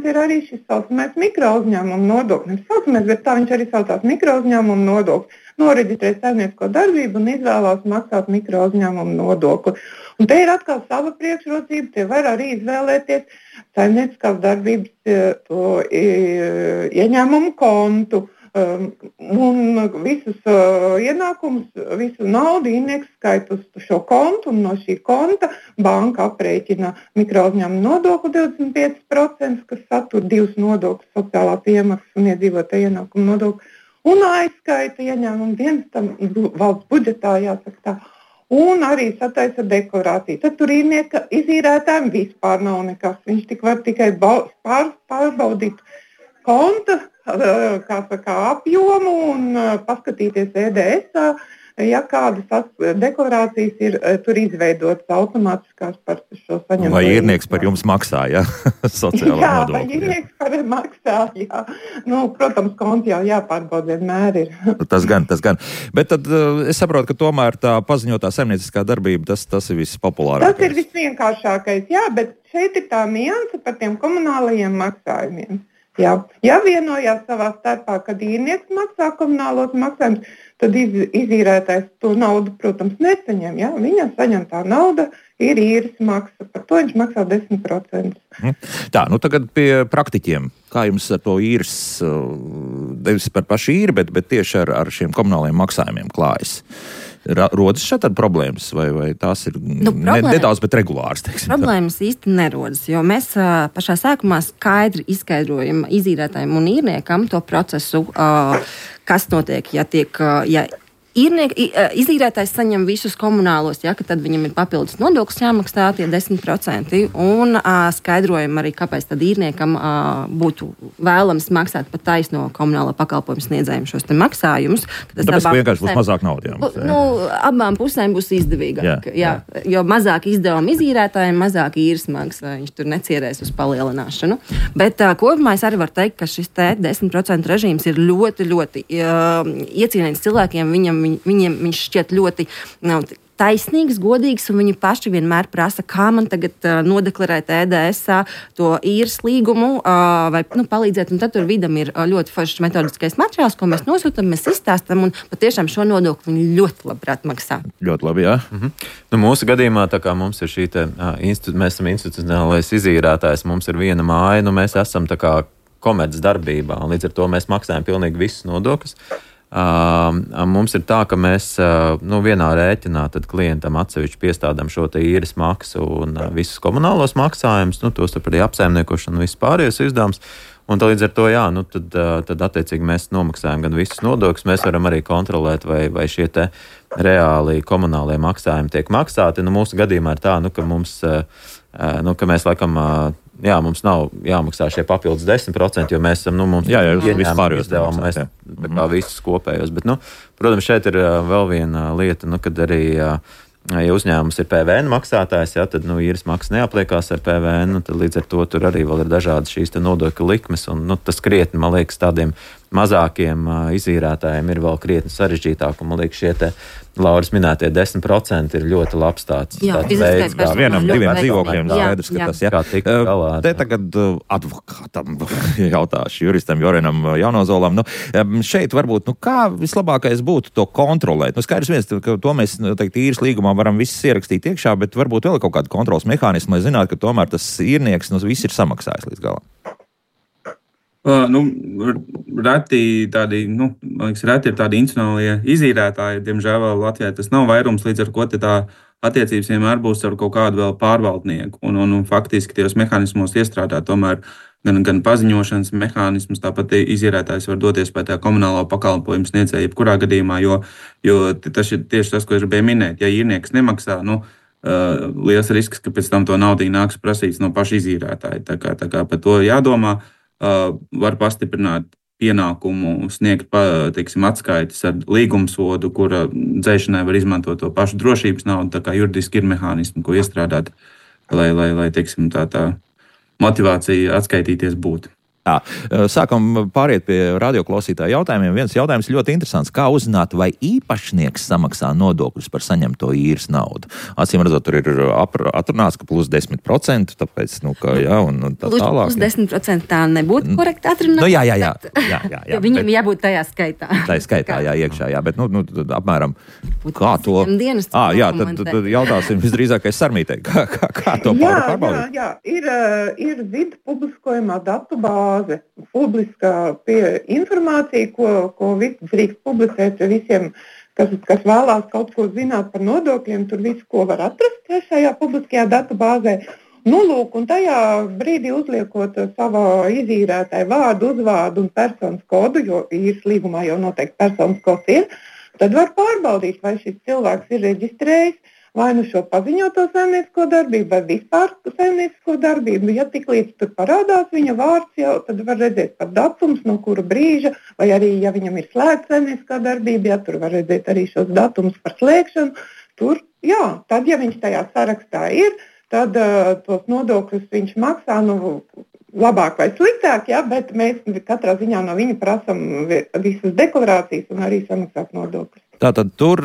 ir arī, šis saucamais mikrouzņēmuma nodoklis. Bet tā viņš arī saucās mikrouzņēmuma nodoklis. Noreģistrēt saimniecisko darbību un izvēlās maksāt mikrouzņēmumu nodokli. Un te ir atkal sava priekšrocība, te var arī izvēlēties saimnieciskās darbības to ieņēmumu kontu un visus ienākumus, visu naudu īrnieks skaita uz šo kontu un no šī konta banka aprēķina mikrouzņēmumu nodokli 25%, kas satur 2 nodokļus, sociālās iemaksas un iedzīvotāju ienākumu nodokli. Un aizskaita ieņēmumu dienestam valsts budžetā, jāsaka tā, un arī sataisa deklarāciju. Tad tur īrnieka izīrētājiem vispār nav nekas. Viņš var tikai pārbaudīt konta, apjomu un paskatīties EDS-ā, ja kādas deklarācijas ir tur izveidotas automātiskās par šo saņemto. Vai īrnieks par jums maksā, ja? Sociālo nodokli. Vai īrnieks par maksā, jā. Protams, konti jau jāpārbauda vienmēr ir. Tas gan. Bet tad es saprotu, ka tomēr tā paziņotā saimnieciskā darbība, tas ir vispopulārākais. Tas ir visvienkāršākais, jā, bet šeit ir tā nianse par tiem komunālajiem maksājumiem. Jā. Ja vienojās savā starpā, kad īrnieks maksā komunālos maksājumus, tad izīrētājs to naudu, protams, nesaņem. Ja? Viņam saņemtā nauda ir īres maksa, par to viņš maksā 10%. Tā, tagad pie praktiķiem. Kā jums ar to īres nevis par pašu īri, bet tieši ar šiem komunāliem maksājumiem klājas. Rodas šeit ar problēmas, vai tās ir nedaudz, bet regulārs? Problēmas īsti nerodas, jo mēs pašā sākumā skaidri izskaidrojam izīrētājiem un īrniekam to procesu, kas notiek, ja izīrētājs saņem visus komunālos, ka tad viņam ir papildus nodoklis jāmaksā tie 10%, un skaidrojam arī, kāpēc tad īrniekam būtu vēlams maksāt pa taisno komunālo pakalpojumu sniedzējiem šos te maksājumus. Tāpēc vienkārši būs mazāk naudas jāmaksā. Abām pusēm būs izdevīgāk. Jā. Jo mazāk izdevumi izīrētājiem, mazāk īres maksā. Viņš tur necierēs uz palielināšanu. Bet kopumā es arī varu teikt, ka šis te 10% režīms ir ļoti, ļoti iecienīts cilvēkiem. Viņiem viņš šķiet ļoti taisnīgs, godīgs, un viņi paši vienmēr prasa, kā man tagad nodeklarēt EDS-ā to īres līgumu vai palīdzēt. Un tad tur vidam ir ļoti foršs metodiskais materiāls, ko mēs nosūtam, mēs izstāstam, un patiešām šo nodokli viņi ļoti labprāt maksā. Ļoti labi, jā. Mūsu gadījumā, tā kā mums ir šī mēs esam institucionālais izīrētājs, mums ir viena māja, mēs esam tā kā komerc darbībā, un līdz ar to mēs maksājam pilnīgi visus nodokļus. Mums ir tā, ka mēs vienā rēķinā tad klientam atsevišķi piestādām šo te īres maksu un visus komunālos maksājumus, tos arī apsaimniekošanu un visus pārējos izdevumus. Un līdz ar to, tad attiecīgi mēs nomaksājam gan visus nodokļus, mēs varam arī kontrolēt, vai šie te reāli komunālie maksājumi tiek maksāti. Mūsu gadījumā ir tā, ka mums, ka mēs laikam, mums nav jāmaksā šie papildus 10%, jo mēs esam, mums vispār izdevām, mēs tā kā visus kopējos. Bet, protams, šeit ir vēl viena lieta, kad arī, ja uzņēmums ir PVN maksātājs, tad īres maksas neapliekās ar PVN, tad līdz ar to tur arī vēl ir dažādas šīs te nodokļu likmes, un tas krietni, man liekas, tādiem mazākiem izīrētājiem ir vēl krietni sarežģītāk, un man liekas, šie te Lauras minētie 10% ir ļoti labs tāds veids. Vienam, diviem dzīvokļiem skaidrs, ka tas, kā tikt galā. Te tagad advokātam jautāšu, juristam Jorenam Jaunozolam. Šeit varbūt, kā vislabākais būtu to kontrolēt? Skaidrs viens, ka to mēs, īres līgumā varam visus ierakstīt iekšā, bet varbūt vēl kaut kādu kontrols mehānismu, lai zinātu, ka tomēr tas īrnieks, viss ir samaksājis līdz galam. Reti ir tādi institucionālie izīrētāji, diemžēl Latvijā tas nav vairums, līdz ar ko tā attiecības vienmēr būs ar kaut kādu vēl pārvaldnieku. Un faktiski tajos mehānismos iestrādāt tomēr gan paziņošanas mehānismus, tāpat izīrētājs var doties pie tā komunālo pakalpojumu sniedzēja jebkurā gadījumā, jo tas ir tieši tas, ko es gribēju minēt. Ja īrnieks nemaksā, liels risks, ka pēc tam to naudu nāks prasīts no paša izīrētāja. Tā kā par to jādomā. Var pastiprināt pienākumu sniegt atskaites ar līgumsodu, kura dzēšanai var izmantot to pašu drošības naudu. Tā kā juridiski ir mehānismi, ko iestrādāt, lai tā motivācija atskaitīties būtu. Sākam pāriet pie radioklausītāju jautājumiem. Viens jautājums ļoti interesants. Kā uzzināt, vai īpašnieks samaksā nodokļus par saņemto īres naudu? Acīm redzot, tur ir atrunāts, ka plus 10%, tāpēc, un tā tālāk. Plus 10% tā nebūtu korekti atrunāts. Jā. Viņam jābūt tajā skaitā. Tā skaitā, jā, bet, tad apmēram, kā to? Tad jautāsim visdrīzākais Sarmītei. Kā to pārbaudīt? Jā, ir vidu publiskojumā datu bāze. Publiskā informācija, ko drīkst publicēt visiem, kas vēlās kaut ko zināt par nodokļiem, tur visu, ko var atrast šajā publiskajā datubāzē. Un tajā brīdī uzliekot savā izīrētāju vārdu, uzvārdu un personas kodu, jo īres līgumā jau noteikti personas kods ir, tad var pārbaudīt, vai šis cilvēks ir reģistrējis vai šo paziņoto saimniecisko darbību, vai vispār saimniecisko darbību. Ja tik līdz tur parādās viņa vārds, jau tad var redzēt pat datums, no kura brīža, vai arī, ja viņam ir slēgta saimnieciskā darbība, tur var redzēt arī šos datumus par slēgšanu. Tad, ja viņš tajā sarakstā ir, tad tos nodokļus viņš maksā, labāk vai sliktāk, bet mēs katrā ziņā no viņa prasam visas deklarācijas un arī samaksāt nodokļus. Tātad tur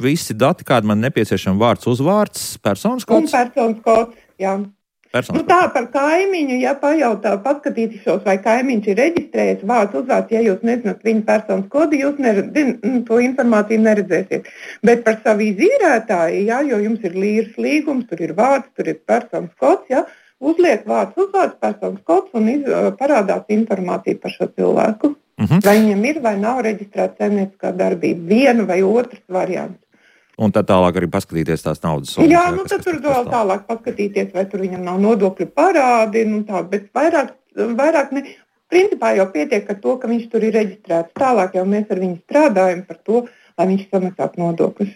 visi dati, kādi man nepieciešami, vārds, uzvārds, personas kods? Un personas kods, jā. Tā par kaimiņu, ja pajautā, paskatīšos, vai kaimiņš ir reģistrējies, vārds, uzvārds, ja jūs nezināt viņa personas kodu, jūs to informāciju neredzēsiet. Bet par savu izīrētāju, jo jums ir īres līgums, tur ir vārds, tur ir personas kods, uzliek vārds, uzvārds, personas kods un parādās informācija par šo cilvēku. Vai viņam ir vai nav reģistrēta saimnieciskā darbība, viena vai otrs variants. Un tad tālāk arī paskatīties tās naudas summas. Jā, tad tur vēl tālāk paskatīties, vai tur viņam nav nodokļu parādi, bet vairāk ne. Principā jau pietiek ar to, ka viņš tur ir reģistrēts. Tālāk jau mēs ar viņu strādājam par to, lai viņš samaksātu nodokļus.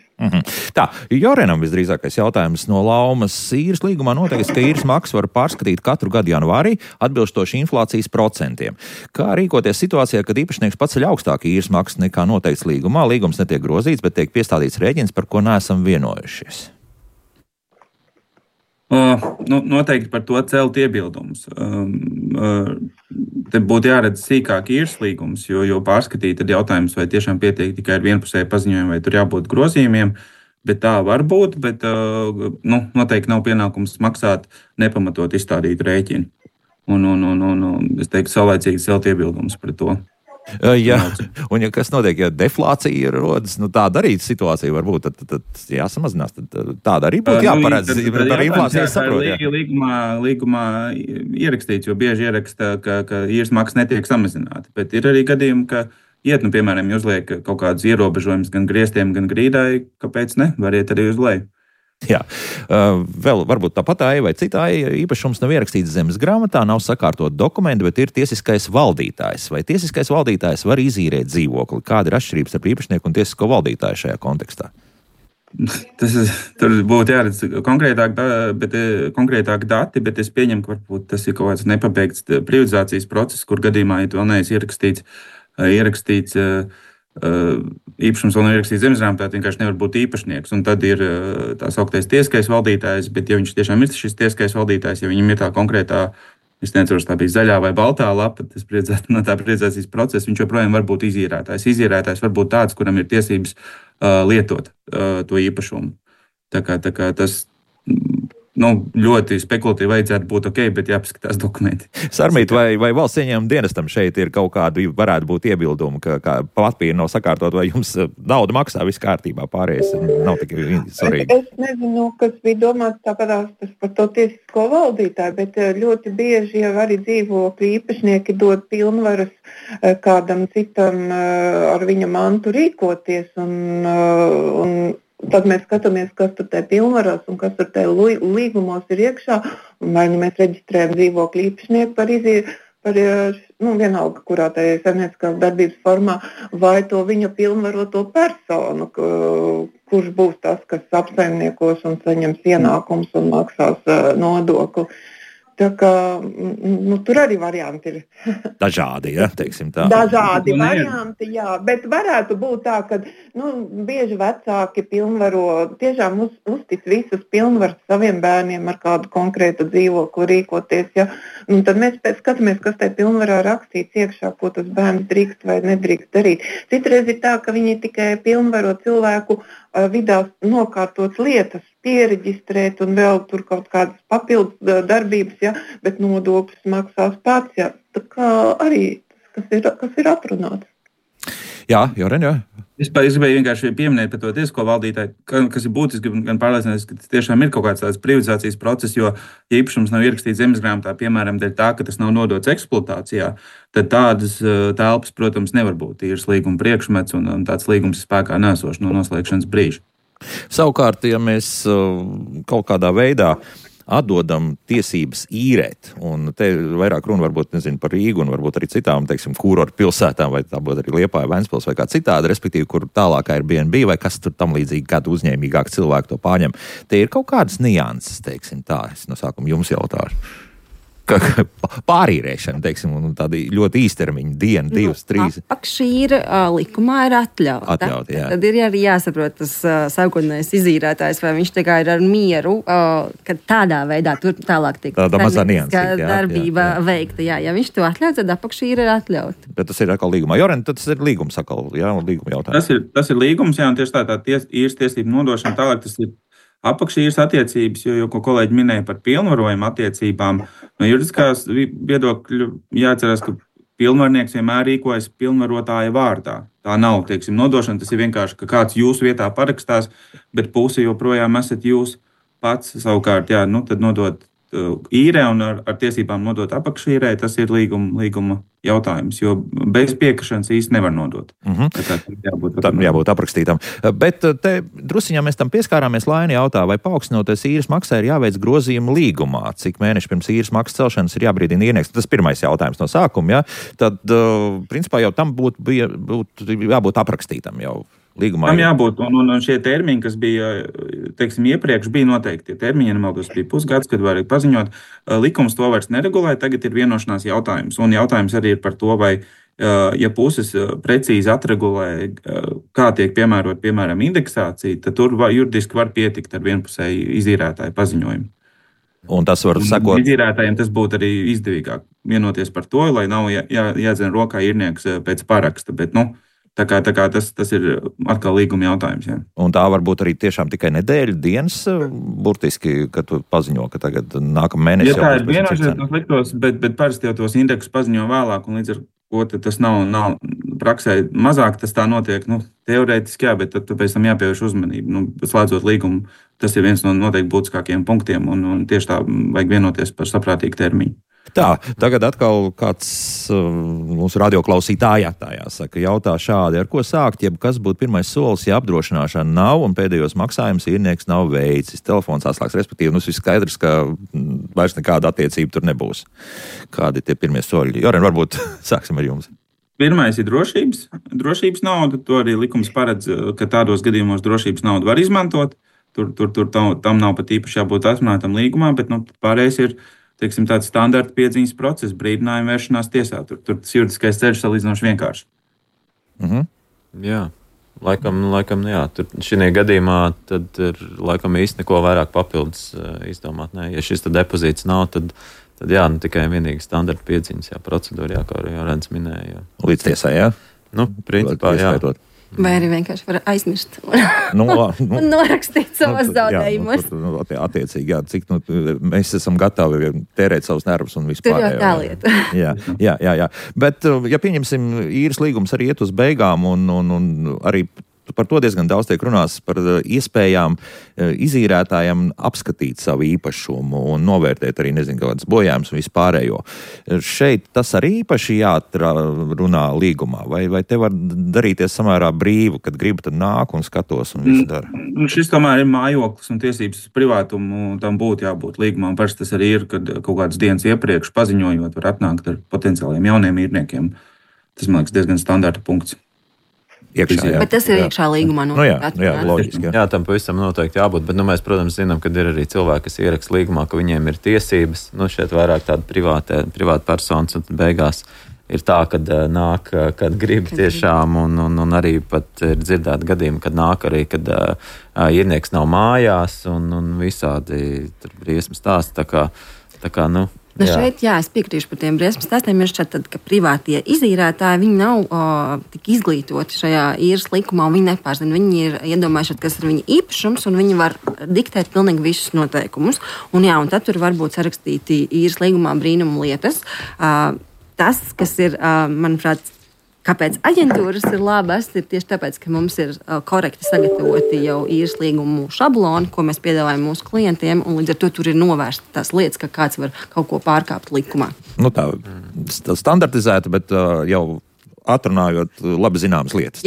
Tā, Jorenam visdrīzākais jautājums no Laumas. Īres līgumā noteikts, ka īres maksu var pārskatīt katru gadu janvārī atbilstoši inflācijas procentiem. Kā rīkoties situācijā, kad īpašnieks paceļ augstāku īres maksu nekā noteikts līgumā? Līgums netiek grozīts, bet tiek piestādīts rēķins, par ko neesam vienojušies. Noteikti par to celt iebildumus. Te būtu jāredz sīkāk īres līgums, jo pārskatīt tad jautājums, vai tiešām pietiek tikai ar vienpusēju paziņojumu, vai tur jābūt grozījumiem. Bet tā var būt, bet noteikti nav pienākums maksāt nepamatot izstādītu rēķinu. Un es teiktu, saulēcīgi celt iebildumus par to. Jā, un ja kas notiek, ja deflācija rodas, tāda arī situācija var būt, tad jāsamazinās. Tāda arī būtu jāparedz par inflāciju saprot. Līgumā ierakstīts, jo bieži ieraksta, ka īres maksa netiek samazināta. Bet ir arī gadījumi, ka piemēram, uzliek kaut kādus ierobežojumus gan griestiem, gan grīdai, kāpēc ne? Variet arī uz leju. Jā, vēl varbūt tāpat vai citai īpašums nav ierakstīts zemes grāmatā, nav sakārtot dokumenti, bet ir tiesiskais valdītājs. Vai tiesiskais valdītājs var izīrēt dzīvokli? Kāda ir atšķirības starp īpašnieku un tiesisko valdītāju šajā kontekstā? Tur būtu jāredz konkrētāk dati, bet es pieņemu, ka varbūt tas ir kaut kāds nepabeigts privatizācijas process, kur gadījumā, ja vēl neesmu ierakstīts īpašums vēl nav ierakstīts zemesgrāmatā, vienkārši nevar būt īpašnieks. Un tad ir tā sauktais tiesiskais valdītājs, bet ja viņš tiešām ir šis tiesiskais valdītājs, ja viņam ir tā konkrētā, es nezinu, tā bija zaļā vai baltā lapa, tas no tā privatizācijas procesa, viņš joprojām var būt izīrētājs. Izīrētājs var būt tāds, kuram ir tiesības lietot to īpašumu. Tā kā tas ļoti spekulatīvi vajadzētu būt ok, bet jāpaskatās dokumenti. Sarmīt, vai valsts ieņēmuma dienestam šeit ir kaut kādi, varētu būt iebildumi, ka papīri nav sakārtot, vai jums nauda maksā, viss kārtībā, pārējais nav tik svarīgi? Es nezinu, kas bija domāts tāpēc par to tiesisko valdītāju, bet ļoti bieži jau arī dzīvokļu īpašnieki dod pilnvaras kādam citam ar viņa mantu rīkoties un tad mēs skatāmies, kas tur te pilnvaros un kas tur te līgumos ir iekšā. Vai mēs reģistrējam dzīvokļu īpašnieku par vienalga, kurā tā ir saimnieciskās darbības formā, vai to viņa pilnvaroto personu, kurš būs tas, kas apsaimniekos un saņems ienākums un maksās nodokli. Tā kā tur arī varianti ir. Dažādi, ja, teiksim tā. Dažādi varianti, jā, bet varētu būt tā, ka bieži vecāki tiešām uztic visas pilnvaras saviem bērniem ar kādu konkrētu dzīvokli rīkoties, ja. Tad mēs skatāmies, kas tai pilnvarā rakstīts iekšā, ko tas bērns drīkst vai nedrīkst darīt. Citreiz ir tā, ka viņi tikai pilnvaro cilvēku vidā nokārtot lietas, piereģistrēt un vēl tur kaut kādas papildus darbības, ja, bet nodokļus maksās pats. Ja. Tā kā arī kas ir atrunāts. Jā, Joren, jā. Es gribēju vienkārši pieminēt par to tiesisko valdītāju, kas ir būtiski, gan pārliecināties, ka tas tiešām ir kaut kāds tāds privatizācijas process, jo, ja īpašums nav ierakstīts zemesgrāmatā, piemēram, dēļ tā, ka tas nav nodots eksploatācijā, tad tādas telpas, protams, nevar būt īres līguma priekšmets un tāds līgums spēkā nesošs no noslēgšanas brīža. Savukārt, ja mēs kaut kādā veidā atdodam tiesības īrēt, un te vairāk runa varbūt, nezinu, par Rīgu un varbūt arī citām, teiksim, kurortu pilsētām, vai tā būtu arī Liepāja, Ventspils vai kā citādi, respektīvi, kur tālākā ir Airbnb vai kas tur tam līdzīgi, kādu uzņēmīgāk cilvēku to pārņem. Te ir kaut kādas nianses, teiksim tā, es no sākuma jums jautāšu. Pārīrēšana, teiksim, un tādi ļoti īstermiņa, diena, 2, 3. Apakšīra likumā ir atļauta. Jā. Tad ir arī jāsaprot tas sākotnējais izīrētājs, vai viņš tikai ir ar mieru, ka tādā veidā tur tālāk tiek darbība veikta. Jā, ja viņš to atļauj, tad apakšīra ir atļauta. Bet tas ir atkal līgumā. Joren, tas ir līgums atkal, jā, līguma jautājums. Tas ir līgums, jā, un tieši tā īres tiesību nodošana tālāk, tas ir apakšīres attiecības, jo ko kolēģi minēja par pilnvarojumu attiecībām, no juridiskās viedokļa jāatcerās, ka pilnvarnieks vienmēr rīkojas pilnvarotāja vārdā. Tā nav, teiksim, nodošana, tas ir vienkārši, ka kāds jūsu vietā parakstās, bet puse joprojām esat jūs pats savukārt, jā, tad nodot īrē un ar tiesībām nodot apakšīrē, tas ir līguma jautājums, jo bez piekrišanas īsti nevar nodot. Tam jābūt aprakstītam. Bet te drusiņā mēs tam pieskārāmies. Laini jautā, vai paaugstinoties īres maksai ir jāveic grozījumi līgumā, cik mēneši pirms īres maksas celšanas ir jābrīdina īrnieks. Tas pirmais jautājums no sākuma, ja? Tad, principā, jau tam būtu jābūt aprakstītam jau. Līgumā tam jābūt, un šie termiņi, kas bija, teiksim, iepriekš bija noteikti, tie termiņi, nemaldos, bija pusgads, kad varēja paziņot, likums to vairs neregulē, tagad ir vienošanās jautājums, un jautājums arī ir par to, vai, ja puses precīzi atregulē, kā tiek piemērot, piemēram, indeksācija, tad tur juridiski var pietikt ar vienpusēju izīrētāju paziņojumu. Un tas var sekot. Izīrētājiem tas būtu arī izdevīgāk vienoties par to, lai nav jādzen rokā īrnieks pēc paraksta, bet, Tā kā tas ir atkal līguma jautājums. Jā. Un tā var būt arī tiešām tikai nedēļa, dienas, burtiski, kad tu paziņo, ka tagad nākamā mēnesī. Ja tā ir vienošanās, tas liktos, bet parasti jau tos indeksus paziņo vēlāk, un līdz ar ko tas nav praksē mazāk, tas tā notiek, teorētiski jā, bet tad pēc tam jāpievērš uzmanību. Slēdzot līgumu, tas ir viens no noteikti būtiskākajiem punktiem, un tieši tā vajag vienoties par saprātīgu termiņu. Tā, tagad atkal kāds mūsu radioklausītājā jautā šādi, ar ko sākt, jeb kas būtu pirmais solis, ja apdrošināšana nav un pēdējos maksājumus īrnieks nav veicis. Telefons atslēgs, respektīvi, viss skaidrs, ka vairs nekāda attiecība tur nebūs. Kādi tie pirmie soļi? Joren, varbūt sāksim ar jums. Pirmais ir drošības nauda. To arī likums paredz, ka tādos gadījumos drošības naudu var izmantot. Tur tam nav pat īpaši jābūt atrunātam līgumā, bet pārējais ir teiksim, tāds standarta piedziņas process, brīdinājuma vēršanās tiesā. Tur tas juridiskais ceļš salīdzinoši vienkārši. Jā, laikam jā. Tur šī gadījumā tad ir laikam īsti neko vairāk papildus izdomāt. Nē. Ja šis depozīts nav, tad jā, tikai vienīgi standarta piedziņas procedūra, kā arī Jorens minēja. Līdz tiesai, jā? Principā, jā. Vai arī vienkārši var aizmirst un norakstīt savas zaudējumus. Attiecīgi, jā, cik mēs esam gatavi tērēt savus nervus un vispār. Tur jau tā lieta. Jā. Bet, ja pieņemsim, īres līgums arī iet uz beigām un arī par to diezgan daudz tiek runās par iespējām izīrētājiem apskatīt savu īpašumu un novērtēt arī, kādas bojājumus un vispārējo. Šeit tas arī īpaši jāatrunā līgumā, vai te var darīties samērā brīvu, kad gribu, tad nāk un skatos un visu dara? Šis tomēr ir mājoklis un tiesības privātumu, tam būtu jābūt līgumā. Parasti tas arī ir, kad kaut kādas dienas iepriekš paziņojot, var atnākt ar potenciāliem jauniem īrniekiem. Tas, man liekas, diezgan standarta punkts. Iekšā, bet tas ir iekšā līgumā. Jā, loģiski. Jā, tam pavisam noteikti jābūt, bet mēs, protams, zinām, ka ir arī cilvēki, kas ieraksta līgumā, ka viņiem ir tiesības. Šeit vairāk tāda privāta personas un beigās ir tā, kad nāk, kad grib tiešām, un arī pat ir dzirdēti gadījumi, kad nāk arī, kad īrnieks nav mājās un visādi tur briesmas stāsti. Tā kā šeit, es piekrīšu par tiem briesmas stāstiem. Ir šķiet, ka privātie izīrētāji, viņi nav tik izglītoti šajā īres likumā, un viņi nepārzina. Viņi ir iedomājušies, kas ir viņa īpašums, un viņi var diktēt pilnīgi visus noteikumus. Un tad tur var būt sarakstīti īres līgumā brīnumu lietas. Tas, kas ir, manuprāt, kāpēc aģentūras ir labas, ir tieši tāpēc, ka mums ir korekti sagatavoti jau īres līgumu šabloni, ko mēs piedāvājam mūsu klientiem, un līdz ar to tur ir novērsta tās lietas, ka kāds var kaut ko pārkāpt likumā. Tā standartizēta, bet jau atrunājot labi zināmas lietas.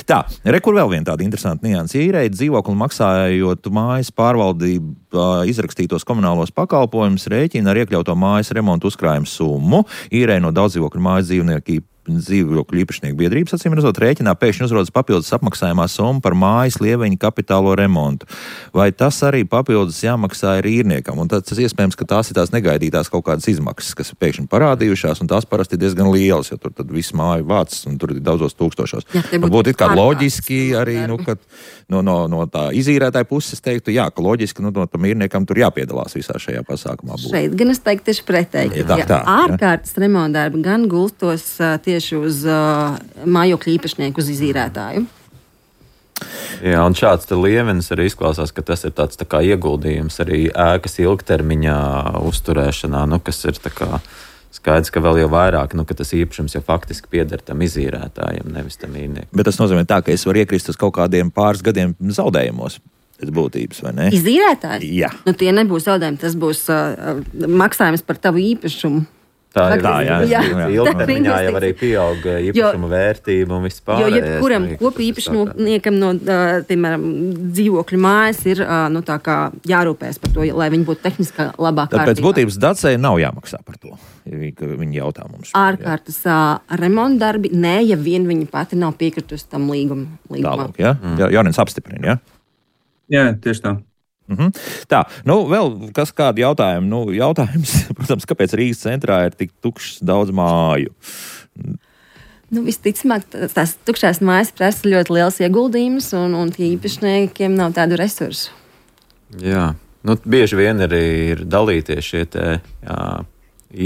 Tā, kur vēl viena tāda interesanta nianse. Īrēt dzīvokli maksājot mājas pārvaldību izrakstītos komunālos pakalpojumus, rēķina ar iekļauto mājas remontu uzkrājumu summu. Īrēt no daudzdzīvokļu mājas dzīvokļu īpašnieku biedrības, acīm redzot, rēķinā pēkšņi uzrodas papildus apmaksājumā summa par mājas lieveņa kapitālo remontu. Vai tas arī papildus jāmaksā ir īrniekam? Un tas iespējams, ka tās ir tās negaidītās kaut kādas izmaksas, kas ir pēkšņi parādījušās, un tās parasti ir diezgan lielas, jo tur tad viss māju vācis, un tur ir daudzos tūkstošos. Būtu it kā loģiski arī, kad no tā izīrētāja puses teiktu, ka loģiski, tam īrniekam tur jāpiedalās visā šajā pasākumā. Šeit gan es teiktu tieši pretēji. Ārkārtas remontdarbi gan gulstos tieši uz mājokļu īpašnieku, uz izīrētāju. Jā, un šāds liemenis arī izklausās, ka tas ir tāds tā kā ieguldījums arī ēkas ilgtermiņā uzturēšanā, kas ir tā kā skaidrs, ka vēl jau vairāk, ka tas īpašums jau faktiski pieder tam izīrētājiem, nevis tam īrniekam. Bet tas nozīmē tā, ka es varu iekrist uz kaut kādiem pāris gadiem zaudējumos. pēc būtības, vai ne? Izīrētājs? Jā. Nu, tie nebūs zaudējumi, tas būs maksājums par tavu īpašumu. Tā ir Jā. ilgtermiņā jau arī pieauga īpašuma vērtība un viss pārējais. Jo jebkuram kopīpašniekam no, piemēram, dzīvokļu mājas ir tā kā jārūpēs par to, lai viņi būtu tehniski labā kārtībā. Tāpēc būtības Dacei nav jāmaksā par to, ka viņi jautā mums. Ārkārtas remontdarbi, nē, ja vien viņa pati nav piekritusi tam līgumā. Tālāk, ja? Jorins apstiprina, ja? Jā, tieši tā. Tā, vēl kādi jautājumi? Jautājums, protams, kāpēc Rīgas centrā ir tik tukšs daudz māju? Visticamāk, tās tukšās mājas prasa ļoti liels ieguldījums, un tie īpašniekiem nav tādu resursu. Jā, bieži vien arī ir dalīties šie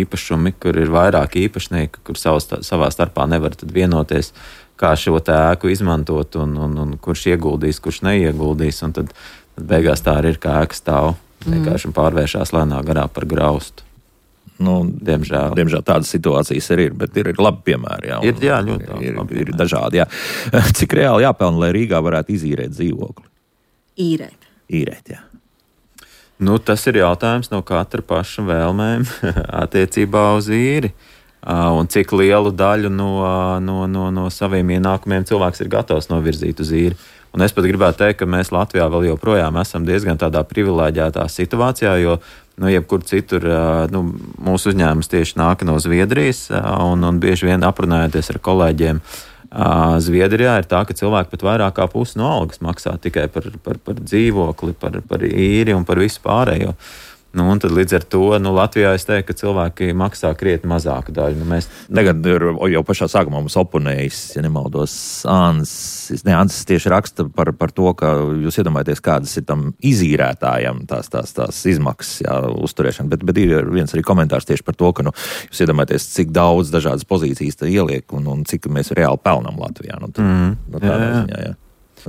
īpašumi, kur ir vairāk īpašnieki, kur savā starpā nevar tad vienoties, kā šo ēku izmantot, un kurš ieguldīs, kurš neieguldīs, un tad beigās tā arī ir, kā ēka stāv vienkārši pārvēršās lēnā garā par graustu. Diemžēl tādas situācijas arī ir, bet ir labi piemēri. Jā, ļoti ir dažādi. Jā. Cik reāli jāpelna, lai Rīgā varētu izīrēt dzīvokli? Īrēt, jā. Tas ir jautājums no katra paša vēlmēm attiecībā uz īri. Un cik lielu daļu no saviem ienākumiem cilvēks ir gatavs novirzīt uz īri. Un es pat gribētu teikt, ka mēs Latvijā vēl joprojām esam diezgan tādā privileģētā situācijā, jo jebkur citur mūsu uzņēmums tieši nāk no Zviedrijas, un bieži vien aprunājoties ar kolēģiem Zviedrijā ir tā, ka cilvēki pat vairāk kā pusi no algas maksā tikai par dzīvokli, par īri un par visu pārējo. Un tad līdz ar to Latvijā es teiktu, ka cilvēki maksā krietni mazāku daļu. Tagad jau pašā sākumā mums oponējis, ja nemaldos, Ansis tieši raksta par to, ka jūs iedomājaties, kādas ir tam izīrētājam tās izmaksas uzturēšana, bet ir viens arī komentārs tieši par to, ka jūs iedomājaties, cik daudz dažādas pozīcijas tā ieliek un cik mēs reāli pelnam Latvijā.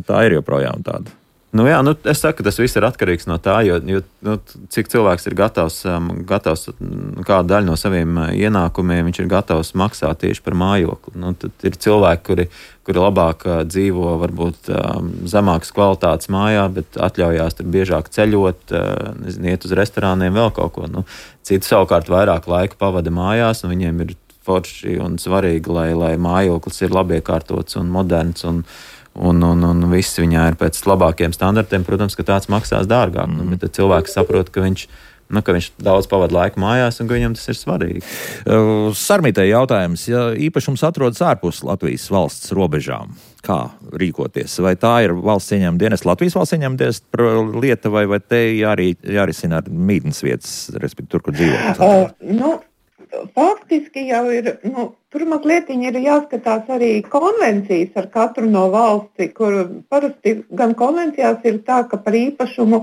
Tā ir joprojām tāda. Es saku, ka tas viss ir atkarīgs no tā, jo cik cilvēks ir gatavs kādu daļu no saviem ienākumiem, viņš ir gatavs maksāt tieši par mājokli. Tad ir cilvēki, kuri labāk dzīvo varbūt zemākas kvalitātes mājā, bet atļaujās tur biežāk ceļot, iet uz restorāniem, vēl kaut ko. Citi savukārt vairāk laika pavada mājās, un viņiem ir forši un svarīgi, lai mājoklis ir labi iekārtots un moderns un viss viņā ir pēc labākiem standartiem. Protams, ka tāds maksās dārgāk, bet tad cilvēks saprot, ka viņš daudz pavada laiku mājās un ka viņam tas ir svarīgi. Sarmītei jautājums, ja īpašums atrodas ārpus Latvijas valsts robežām, kā rīkoties? Vai tā ir valsts ieņēmuma dienesta, Latvijas valsts ieņēmuma dienesta lieta, vai te jārisina ar mītnes vietas, respektīvi tur, kur dzīvo? Faktiski jau ir, tur mazliet ir jāskatās arī konvencijas ar katru no valsti, kur parasti gan konvencijās ir tā, ka par īpašumu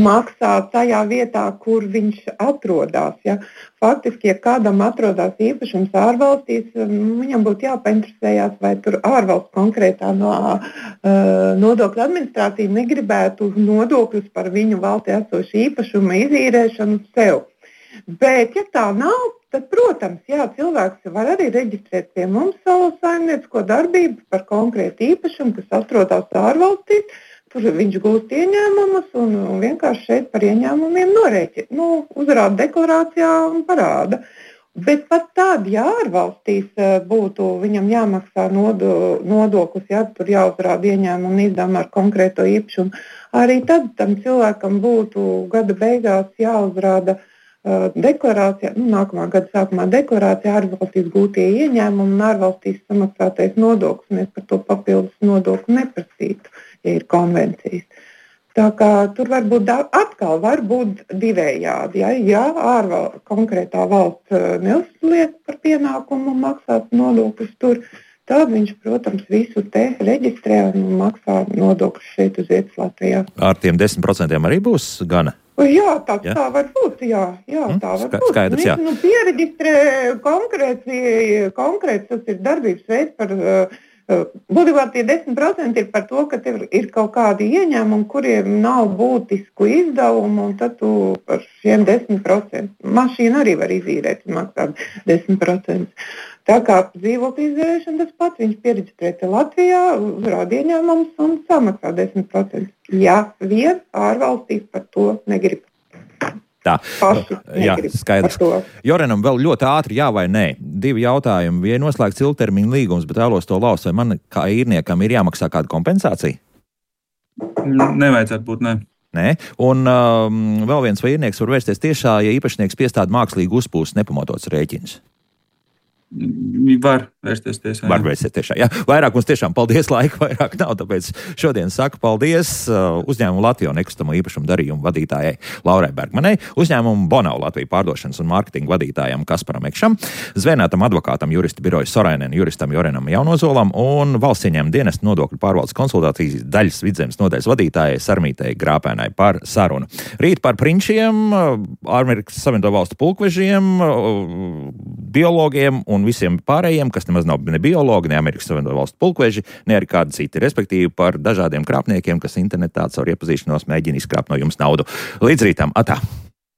maksā tajā vietā, kur viņš atrodas. Ja? Faktiski, ja kādam atrodas īpašums ārvalstīs, viņam būtu jāpainteresējās, vai tur ārvalsts konkrētā nodokļu administrācija negribētu nodokļus par viņu valstī esošu īpašumu izīrēšanu sev. Bet, ja tā nav, tad, protams, cilvēks var arī reģistrēt pie mums savu saimniecisko darbību par konkrētu īpašumu, kas atrodas ārvalstīs. Tur viņš gūst ieņēmumus un vienkārši šeit par ieņēmumiem uzrāda deklarācijā un parāda. Bet pat tad, ja ārvalstīs būtu viņam jāmaksā nodoklis, tur jāuzrāda ieņēmumu izdevumi ar konkrēto īpašumu, arī tad tam cilvēkam būtu gada beigās jāuzrāda deklarācijā, nākamā gada sākumā deklarācijā ārvalstīs gūtie ieņēmumi un ārvalstīs samaksātais nodoklis. Mēs par to papildus nodokli neprasītu, ja ir konvencijas. Tā kā tur var būt divējādi. Ja konkrētā valsts neuzliek par pienākumu maksāt nodokļus tur, tad viņš, protams, visu te reģistrē un maksā nodokļus šeit uz vietas Latvijā. Ar tiem 10% arī būs gana? Jā, tā var būt. Jā, tā var būt. Skaidrs, jā. Pieregistrē konkrēts tas ir darbības veids par, būtībā tie 10% ir par to, ka tev ir kaut kādi ieņēmumi, kuriem nav būtisku izdevumu, un tad tu par šiem 10%. Mašīna arī var izīrēt, maksāt 10%. Tā kā dzīvokļu izdevīšana tas pats, viņš pieregistrēta Latvijā, rāda ieņēmumus un samaksā 10%. Ja vien ārvalstīs par to negrib. Tā, jā, negrib skaidrs. Jorenam vēl ļoti ātri jā vai nē. 2 jautājumi. Ja noslēgts ilgtermiņa līgums, bet vēlos to laust, vai man kā īrniekam ir jāmaksā kāda kompensācija? Nevajadzētu būt, ne. Nē. Un vēl viens, vai īrnieks var vērsties tiešā, ja īpašnieks piestāda mākslīgi uzpūst nepamatots rēķins? Var vērsties tiesā. Var vērsties tiešā, jā. Vairāk mums tiešām paldies, laika vairāk nav, tāpēc šodien saku paldies uzņēmumu Latviju nekustamo īpašumu darījumu vadītājai Laurai Bergmanai, uzņēmumu Bonau Latviju pārdošanas un mārketinga vadītājam Kasparam Ekšam, zvēnētam advokātam juristu biroju Sorainen, juristam Jorenam Jaunozolam un valsts ieņēmuma dienesta nodokļu pārvaldes konsultācijas daļas Vidzemes nodaļas vadītājai Sarmītei Grāpēnai par sarunu. Rīt par prinčiem, Amerikas Savienoto Valstu pulkvežiem, biologiem un visiem pārējiem, kas nemaz nav ne biologi, ne Amerikas Savienoto Valstu pulkveži, ne arī kādi citi, respektīvi par dažādiem krāpniekiem, kas internetā caur iepazīšanos mēģina izkrāpt no jums naudu. Līdz rītam, atā!